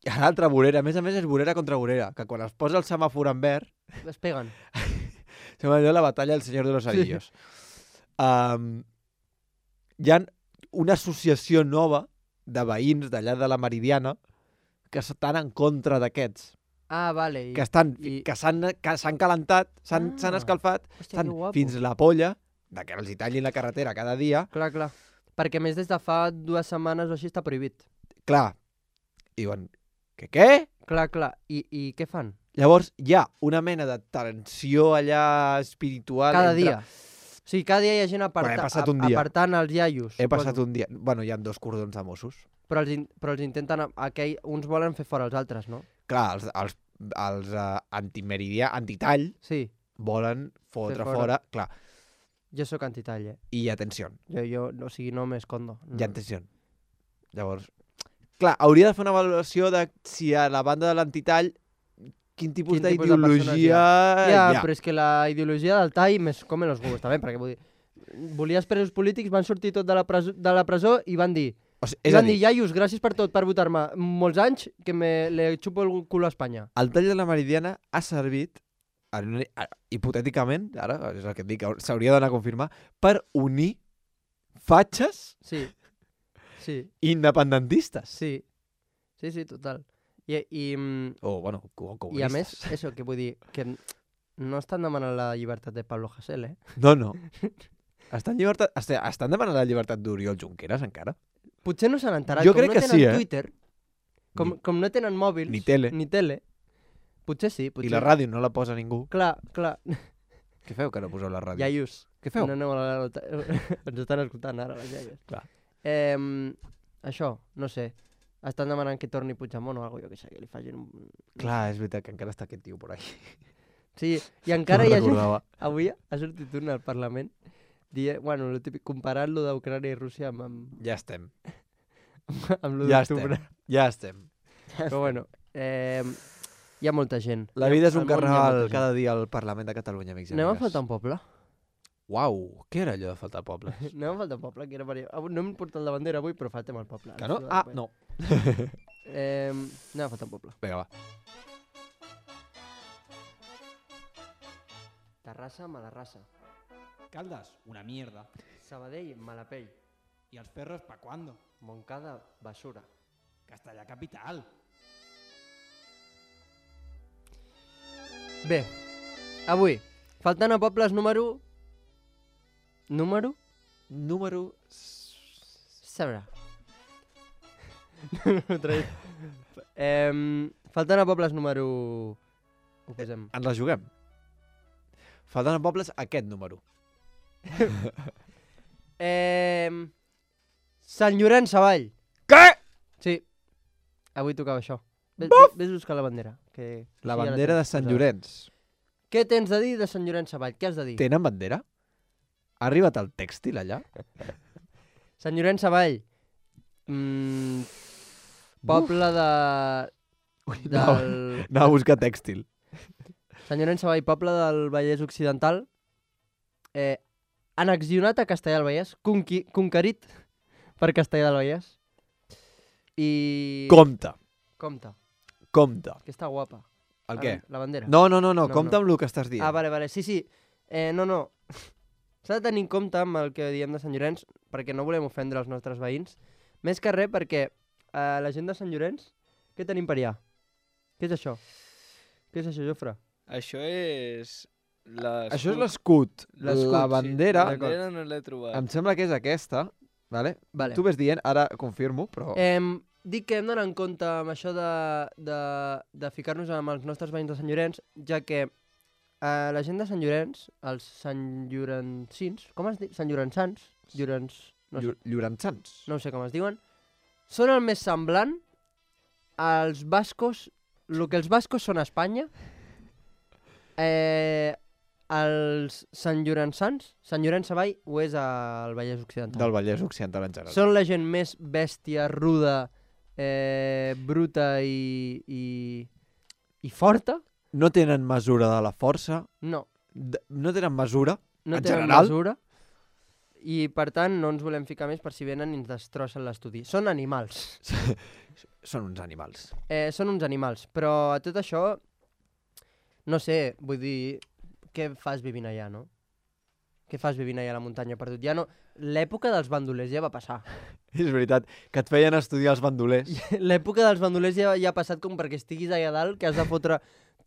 Speaker 3: a l'altra vorera, a més és vorera contra vorera, que quan es posa el semàfor en verd,
Speaker 4: Es peguen.
Speaker 3: sembla allò la batalla del Senyor de los Anillos. Hi ha una associació nova de veïns d'allà de la Meridiana que estan en contra d'aquests,
Speaker 4: Ah, vale.
Speaker 3: que s'han calentat, s'han escalfat,
Speaker 4: Hòstia,
Speaker 3: estan
Speaker 4: que guapo.
Speaker 3: fins la polla de que els hi tallin la carretera cada dia.
Speaker 4: Clar. Perquè a més des de fa 2 setmanes o així està prohibit.
Speaker 3: Clar, i diuen, què?
Speaker 4: Clar. I què fan?
Speaker 3: Llavors hi ha una mena de tensió allà espiritual.
Speaker 4: Cada dia. O sigui, cada dia hi ha gent
Speaker 3: He passat un dia.
Speaker 4: apartant els iaios.
Speaker 3: He passat un dia... Bueno, hi ha 2 cordons de Mossos.
Speaker 4: Però els intenten... Uns volen fer fora els altres, no?
Speaker 3: Clar, els antitall
Speaker 4: Sí,
Speaker 3: volen fotre
Speaker 4: Fer fora.
Speaker 3: fora. Clar,
Speaker 4: jo sóc antitall,
Speaker 3: i hi ha tensió.
Speaker 4: Jo o sigui, no m'escondo.
Speaker 3: Hi ha tensió. Llavors, clar, hauria de fer una valoració de si a la banda de l'antitall quin tipus
Speaker 4: Quin tipus de
Speaker 3: d'ideologia
Speaker 4: Ja,
Speaker 3: hi ha.
Speaker 4: però és que la ideologia del tall més com en los huevos, també, perquè vull dir, volies presos polítics, van sortir tot de la presó i van dir,
Speaker 3: O sigui, és a dir,
Speaker 4: iaios, gràcies per tot, per votar-me molts anys, que le xupo el culo a Espanya.
Speaker 3: el tall de la Meridiana ha servit, hipotèticament, ara és el que et dic, s'hauria d'anar a confirmar, per unir fatxes
Speaker 4: Sí,
Speaker 3: independentistes.
Speaker 4: sí, total.
Speaker 3: O, bueno,
Speaker 4: I a
Speaker 3: comunistes.
Speaker 4: més, això, que vull dir, que no estan demanant la llibertat de Pablo Hasél,
Speaker 3: No. Estan demanant la llibertat d'Oriol Junqueras encara?
Speaker 4: Potser no s'han enterat.
Speaker 3: Jo
Speaker 4: com
Speaker 3: crec
Speaker 4: no
Speaker 3: que
Speaker 4: tenen
Speaker 3: sí,
Speaker 4: Twitter, com no tenen mòbils...
Speaker 3: Ni tele.
Speaker 4: Potser sí.
Speaker 3: I la ràdio no la posa ningú.
Speaker 4: Clar.
Speaker 3: Què feu que no poseu la ràdio?
Speaker 4: Iaios.
Speaker 3: Què feu?
Speaker 4: No aneu a la... Ens estan escoltant ara, les iaies.
Speaker 3: Clar.
Speaker 4: Això, no sé. Estan demanant que torni Puigdemont o alguna cosa, jo què sé, que li facin un...
Speaker 3: Clar, és veritat que encara està aquest tio por ahí.
Speaker 4: Sí, i encara
Speaker 3: No
Speaker 4: hi ha gent...
Speaker 3: recordava.
Speaker 4: Avui ha sortit un al Parlament bueno, lo típic, comparant-lo d'Ucrània i Rússia amb
Speaker 3: Ja estem.
Speaker 4: lo
Speaker 3: Ja
Speaker 4: d'octubre.
Speaker 3: estem.
Speaker 4: Però bueno, hi ha molta gent.
Speaker 3: La vida és un
Speaker 4: Al món hi ha
Speaker 3: carnaval
Speaker 4: molta gent.
Speaker 3: cada dia al Parlament de Catalunya, amics i
Speaker 4: Anem a
Speaker 3: amigues.
Speaker 4: faltar un poble?
Speaker 3: Uau, què era allò de faltar pobles?
Speaker 4: Anem a faltar un poble, que era no hem portat la bandera avui, però faltem el poble.
Speaker 3: Que no? Ah, no.
Speaker 4: Anem a faltar un poble.
Speaker 3: Vinga, va.
Speaker 4: Terrassa, Malarrassa.
Speaker 8: Caldas, una mierda.
Speaker 4: Sabadell, Malapell.
Speaker 8: ¿Y los perros pa' cuándo?
Speaker 4: Montcada, Basura.
Speaker 8: Castellà capital.
Speaker 4: Bé, avui, faltant a pobles número... Número? Sabrà. Faltant a pobles número... Ho posem.
Speaker 3: Ens la juguem. Faltant a pobles aquest número.
Speaker 4: Sant Llorenç Savall.
Speaker 3: Què?
Speaker 4: Sí. Avui tocava això. Ves a buscar la bandera. Que
Speaker 3: La
Speaker 4: sí, ja
Speaker 3: bandera de
Speaker 4: tens
Speaker 3: Sant
Speaker 4: posada.
Speaker 3: Llorenç.
Speaker 4: Què tens de dir de Sant Llorenç Savall? Què has de dir?
Speaker 3: Tenen bandera? Ha arribat el tèxtil allà?
Speaker 4: Sant Llorenç Savall. Poble de...
Speaker 3: Anava a buscar tèxtil.
Speaker 4: Sant Llorenç Savall, poble del Vallès Occidental. Annexionat a Castellar del Vallès. Conquerit per Castellar del Vallès. I...
Speaker 3: Compte.
Speaker 4: Compte. Que està guapa.
Speaker 3: El què?
Speaker 4: La bandera.
Speaker 3: No, compte amb el que estàs dient.
Speaker 4: Ah, vale. Sí. No. S'ha de tenir en compte amb el que diem de Sant Llorenç, perquè no volem ofendre els nostres veïns. Més que res perquè la gent de Sant Llorenç, què tenim per allà? Què és això? Què és això, Jofre?
Speaker 7: Això és...
Speaker 3: Això és l'escut. La bandera,
Speaker 7: La bandera no l'he trobat.
Speaker 3: em sembla que és aquesta. Vale?
Speaker 4: Vale.
Speaker 3: Tu ves dient, ara confirmo, però...
Speaker 4: Dic que hem d'anar en compte amb això de ficar-nos amb els nostres veïns de Sant Llorenç, ja que la gent de Sant Llorenç, els santllorenzins, com es diu? Sant Llorençans?
Speaker 3: Llorençans.
Speaker 4: No sé com es diuen. Són el més semblant als bascos, el que els bascos són a Espanya, els Sant Llorençans, Sant Llorenç Savall ho és al Vallès Occidental.
Speaker 3: Del Vallès Occidental en general.
Speaker 4: Són la gent més bèstia, ruda, bruta i forta.
Speaker 3: No tenen mesura de la força.
Speaker 4: No.
Speaker 3: No tenen mesura,
Speaker 4: No
Speaker 3: en
Speaker 4: tenen
Speaker 3: general.
Speaker 4: mesura. I per tant no ens volem ficar més per si venen i ens destrossen l'estudi. Són animals.
Speaker 3: Són uns animals.
Speaker 4: Són uns animals. Però a tot això, no sé, vull dir, què fas vivint allà, no? Què fas vivint allà a la muntanya perdut? Ja no... L'època dels bandolers ja va passar.
Speaker 3: És veritat, que et feien estudiar els bandolers.
Speaker 4: L'època dels bandolers ja ha passat com perquè estiguis allà dalt, que has de fotre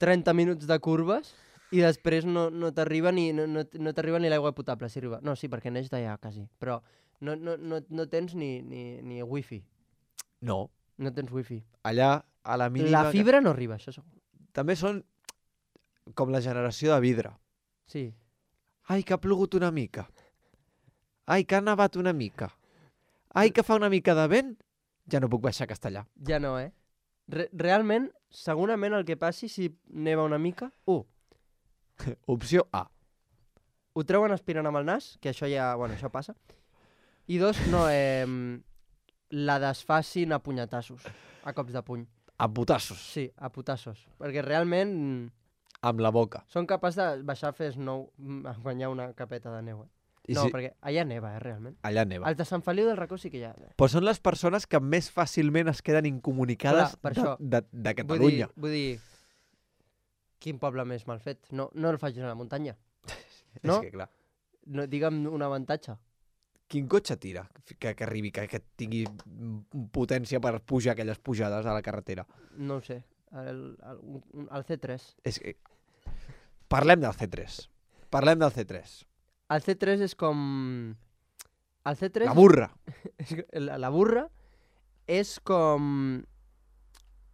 Speaker 4: 30 minuts de curves i després no t'arriba ni l'aigua potable. Si arriba. No, sí, perquè neix d'allà, quasi. Però no tens ni wifi.
Speaker 3: No.
Speaker 4: No tens wifi.
Speaker 3: Allà, a la mínima...
Speaker 4: La fibra no arriba, això segur.
Speaker 3: També són com la generació de vidre.
Speaker 4: Sí.
Speaker 3: Ai, que ha plogut una mica. Ai, que ha nevat una mica. Ai, que fa una mica de vent. Ja no puc baixar a Castellà.
Speaker 4: Ja no, Realment, segurament el que passi si neva una mica...
Speaker 3: Opció A.
Speaker 4: Ho treuen aspirant amb el nas, que això ja... Bueno, això passa. I 2, no, la desfacin a punyetassos, a cops de puny.
Speaker 3: A putassos.
Speaker 4: Sí, a putassos. Perquè realment
Speaker 3: Amb la boca.
Speaker 4: són capaços de baixar a fer snow, a guanyar una capeta de neu.
Speaker 3: I
Speaker 4: No,
Speaker 3: si-
Speaker 4: perquè allà neva, realment.
Speaker 3: Allà neva.
Speaker 4: Els de Sant Feliu del Racó sí que hi ha.
Speaker 3: Però són les persones que més fàcilment es queden incomunicades
Speaker 4: Clar, per això.
Speaker 3: de Catalunya.
Speaker 4: Vull dir, quin poble més mal fet. No el facis a la muntanya. No?
Speaker 3: És que, clar,
Speaker 4: No, digue'm un avantatge.
Speaker 3: quin cotxe tira que arribi, que tingui potència per pujar aquelles pujades a la carretera?
Speaker 4: No ho sé. El C3.
Speaker 3: És que... Parlem del C3.
Speaker 4: El C3 és com... El C3...
Speaker 9: La burra.
Speaker 4: La burra és com...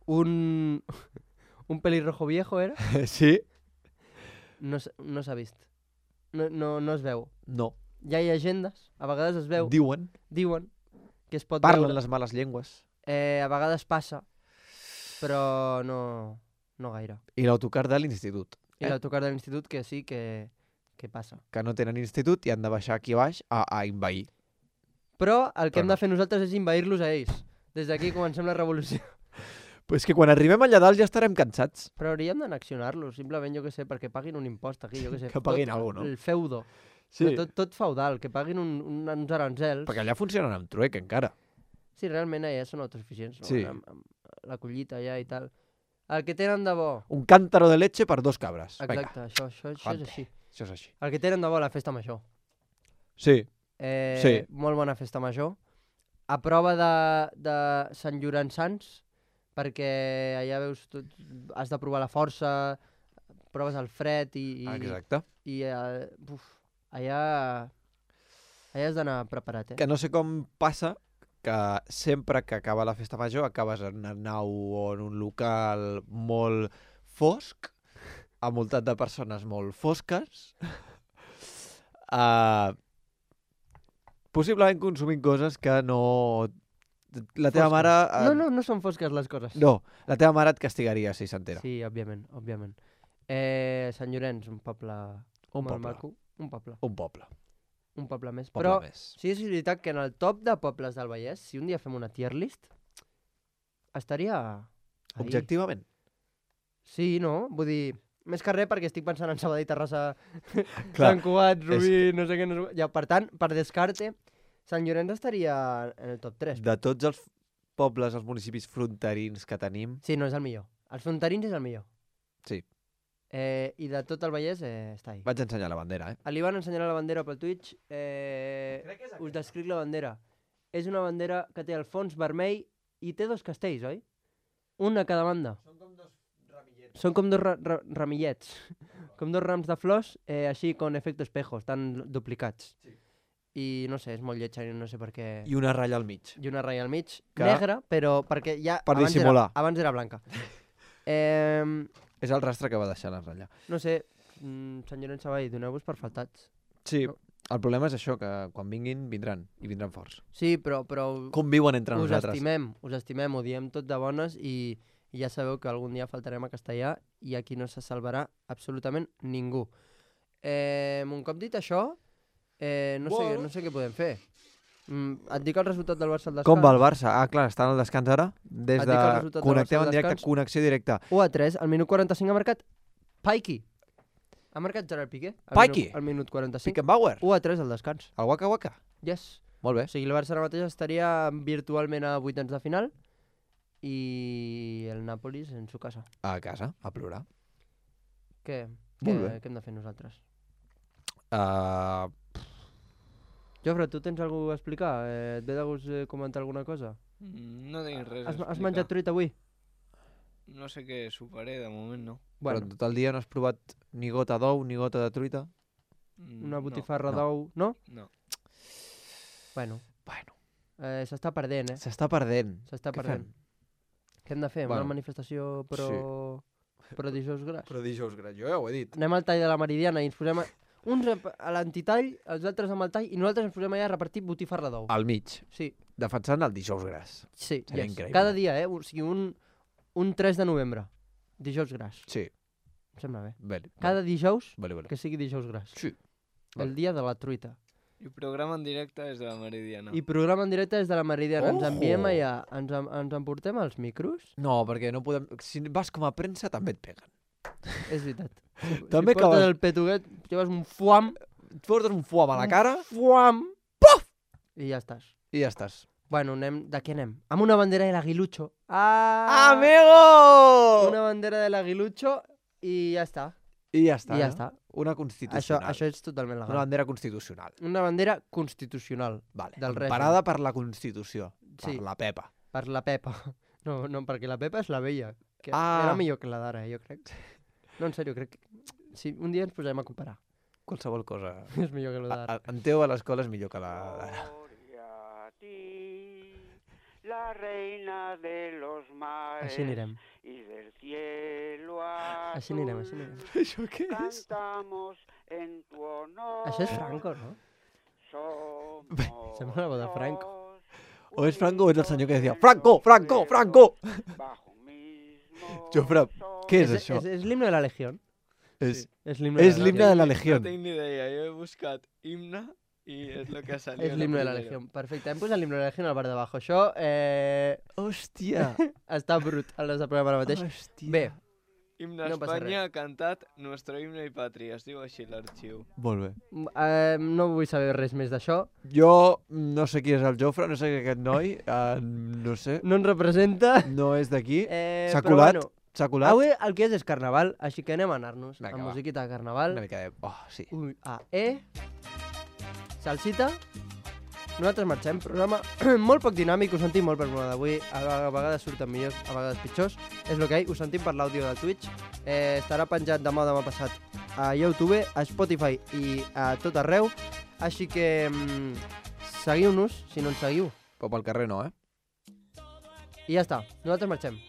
Speaker 4: Un pelirrojo viejo, era?
Speaker 9: Sí?
Speaker 4: No s'ha vist. No es veu.
Speaker 9: No.
Speaker 4: Hi ha llegendes, a vegades es veu.
Speaker 9: Diuen.
Speaker 4: Diuen que es pot
Speaker 9: Parlen
Speaker 4: veure.
Speaker 9: les males llengües.
Speaker 4: A vegades passa, però no gaire.
Speaker 9: I l'autocar de l'institut.
Speaker 4: I l'autocar de l'institut que sí que passa.
Speaker 9: Que no tenen institut i han de baixar aquí baix a invair.
Speaker 4: Però el que
Speaker 9: Però
Speaker 4: hem de fer nosaltres és invair-los a ells. Des d'aquí comencem la revolució.
Speaker 9: Però és que quan arribem allà dalt ja estarem cansats.
Speaker 4: Però hauríem d'annexionar-los, simplement, jo què sé, perquè paguin un impost aquí, jo què sé.
Speaker 9: Que paguin alguna cosa, no?
Speaker 4: El feudo.
Speaker 9: Sí.
Speaker 4: Tot feudal, que paguin uns arancels.
Speaker 9: Perquè allà funcionen amb truec, encara.
Speaker 4: Sí, realment allà són autosuficients, no?
Speaker 9: Sí.
Speaker 4: Amb la collita allà i tal. El que tenen de bo...
Speaker 9: Un cántaro de leche per 2 cabres.
Speaker 4: Exacte, això és així.
Speaker 9: Això és així.
Speaker 4: El que tenen de bo la festa major.
Speaker 9: Sí. Sí.
Speaker 4: Molt bona festa major. A prova de Sant Llorenç Sants, perquè allà veus tot, has de provar la força, proves el fred i
Speaker 9: Exacte.
Speaker 4: I allà has d'anar preparat,
Speaker 9: Que no sé com passa que sempre que acaba la festa major acabes en una nau o en un local molt fosc, envoltat de persones molt fosques, possiblement consumint coses que no... La teva mare...
Speaker 4: No són fosques les coses.
Speaker 9: No, la teva mare et castigaria si s'entera.
Speaker 4: Sí, òbviament. Sant Llorenç, un poble molt maco. Un poble més. Però sí és veritat que en el top de pobles del Vallès, si un dia fem una tier list, estaria... ahí.
Speaker 9: Objectivament.
Speaker 4: Sí, no? Vull dir, més que res perquè estic pensant en Sabadell, Terrassa, Sant Cugat, Rubí, no sé què... Ja, per tant, per descarte, Sant Llorenç estaria en el top 3.
Speaker 9: De tots els pobles, els municipis fronterins que tenim...
Speaker 4: Sí, no, és el millor. Els fronterins és el millor.
Speaker 9: Sí.
Speaker 4: I de tot el Vallès està ahí.
Speaker 9: Vaig ensenyar la bandera,
Speaker 4: Li van ensenyar la bandera pel Twitch. Us descric la bandera. És una bandera que té el fons vermell i té 2 castells, oi? Un a cada banda. Són com dos ramillets. Com 2 rams de flors, així con efecte espejo, estan duplicats. Sí. I no sé, és molt lletja i no sé per què...
Speaker 9: I una ratlla al mig.
Speaker 4: I una ratlla al mig, negra, però perquè ja...
Speaker 9: Per dissimular.
Speaker 4: Abans era blanca.
Speaker 9: És el rastre que va deixar la ratlla.
Speaker 4: No sé, Sant Llorenç Savall, doneu-vos per faltats.
Speaker 9: Sí,
Speaker 4: no.
Speaker 9: El problema és això, que quan vinguin, vindran, i vindran forts.
Speaker 4: Sí, però
Speaker 9: conviuen entre nosaltres.
Speaker 4: Us estimem, ho diem tot de bones i ja sabeu que algun dia faltarem a Castellà i aquí no se salvarà absolutament ningú. Un cop dit això, no sé què podem fer. Et dic el resultat del Barça al descans.
Speaker 9: Com va el Barça? Ah, clar, està en el descans ara. Des de connectem en directe, connexió directa.
Speaker 4: 1-3, al minut 45 ha marcat Paiki. Ha marcat Gerard Piqué.
Speaker 9: Paiki?
Speaker 4: Al minut 45.
Speaker 9: Pickenbauer?
Speaker 4: 1-3 al descans.
Speaker 9: El Waka Waka?
Speaker 4: Yes.
Speaker 9: Molt bé.
Speaker 4: O sigui, el Barça ara mateix estaria virtualment a 8 de final i el Nàpolis en su casa.
Speaker 9: A casa, a plorar.
Speaker 4: Què?
Speaker 9: Molt bé.
Speaker 4: Què hem de fer nosaltres? Jofre, tu tens alguna cosa a explicar? Et ve de gust comentar alguna cosa?
Speaker 7: No tinc res a explicar.
Speaker 4: Has menjat truita avui?
Speaker 7: No sé què soparé, de moment no.
Speaker 9: Però en tot el dia no has provat ni gota d'ou, ni gota de truita?
Speaker 4: Una botifarra d'ou, no?
Speaker 7: No.
Speaker 4: Bueno. S'està perdent,
Speaker 9: S'està perdent.
Speaker 4: Què hem de fer? Una manifestació pro dijous gras?
Speaker 9: Pro dijous gras, jo ja ho he dit.
Speaker 4: Anem al tall de la Meridiana i ens posem... Uns a l'antitall, els altres amb el tall, i nosaltres ens posem allà a repartir botifarra d'ou.
Speaker 9: Al mig.
Speaker 4: Sí.
Speaker 9: Defensant el dijous gras.
Speaker 4: Sí,
Speaker 9: seria increïble.
Speaker 4: Cada dia, o sigui, un 3 de novembre. Dijous gras.
Speaker 9: Sí.
Speaker 4: Em sembla bé.
Speaker 9: Vale.
Speaker 4: Cada dijous,
Speaker 9: vale.
Speaker 4: que sigui dijous gras.
Speaker 9: Sí.
Speaker 4: El dia de la truita.
Speaker 7: I programa en directe des de la Meridiana.
Speaker 4: I programa en directe des de la Meridiana. Ens enviem allà. Ens emportem els micros?
Speaker 9: No, perquè no podem... Si vas com a premsa també et peguen.
Speaker 4: És veritat.
Speaker 9: També
Speaker 4: si portes el petuguet, lleves un fuam...
Speaker 9: Et portes un fuam a la cara...
Speaker 4: Fuam!
Speaker 9: Puf!
Speaker 4: I ja estàs.
Speaker 9: I ja estàs.
Speaker 4: Bueno, de què anem? Amb una bandera de l'aguilucho.
Speaker 9: ¡Amigo!
Speaker 4: Una bandera de l'aguilucho i ja està.
Speaker 9: I ja està.
Speaker 4: I ja està.
Speaker 9: Una constitucional.
Speaker 4: Això és totalment legal.
Speaker 9: Una bandera constitucional.
Speaker 4: Una bandera constitucional.
Speaker 9: Vale.
Speaker 4: Del règim.
Speaker 9: Parada per la Constitució.
Speaker 4: Sí.
Speaker 9: Per la Pepa.
Speaker 4: Per la Pepa. No, perquè la Pepa és la vella. Que era millor que la d'ara, jo crec. No, en sèrio, crec que... Sí, un dia ens posarem a comparar.
Speaker 9: qualsevol cosa.
Speaker 4: És millor que lo d'ara.
Speaker 9: En Teo a l'escola és millor que la d'ara.
Speaker 10: La reina de los mares
Speaker 4: Així anirem.
Speaker 10: y del cielo
Speaker 4: Així anirem, així anirem.
Speaker 9: Això què és?
Speaker 10: cantamos en tu honor.
Speaker 4: Això és Franco, no?
Speaker 10: Somos
Speaker 4: Sembla la veu de Franco.
Speaker 9: O és Franco o és el senyor que deia Franco, Franco, Franco! Jofre, què és això?
Speaker 4: És l'himne de la Legión.
Speaker 9: És
Speaker 4: l'himne
Speaker 9: l'himne de la Legión.
Speaker 7: No tinc ni idea, jo he buscat himne i és el que ha salido.
Speaker 4: És l'himne de la Legión. Perfecte, hem posat l'himne de la Legión al bar de abajo. Això
Speaker 9: Hòstia!
Speaker 4: està brut el nostre programa ara mateix.
Speaker 9: Hòstia.
Speaker 4: Bé,
Speaker 7: Himne
Speaker 4: No passa
Speaker 7: Espanya ha cantat Nuestro himno i patria, es diu així l'arxiu.
Speaker 9: Molt bé.
Speaker 4: no vull saber res més d'això.
Speaker 9: Jo no sé qui és el Jofre, no sé qui és aquest noi, no sé,
Speaker 4: No ens representa.
Speaker 9: no és d'aquí. S'ha
Speaker 4: però
Speaker 9: colat,
Speaker 4: bueno,
Speaker 9: s'ha colat.
Speaker 4: avui el que és carnaval, així que anem a anar-nos
Speaker 9: Vinga,
Speaker 4: amb
Speaker 9: va.
Speaker 4: musiquita de carnaval.
Speaker 9: Una mica de... Oh, sí.
Speaker 4: Salsita. Nosaltres marxem. Programa molt poc dinàmic, ho sentim molt per programa d'avui. A vegades surten millors, a vegades pitjors. És el que hi, ho sentim per l'àudio de Twitch. Estarà penjat demà passat a YouTube, a Spotify i a tot arreu. Així que seguiu-nos, si no ens seguiu.
Speaker 9: Però pel carrer no,
Speaker 4: I ja està, nosaltres marxem.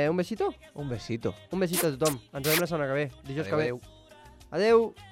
Speaker 4: Un besito?
Speaker 9: Un besito.
Speaker 4: Un besito a tothom. Ens veiem la setmana que ve, dijous que ve.
Speaker 9: Adéu.
Speaker 4: Adéu.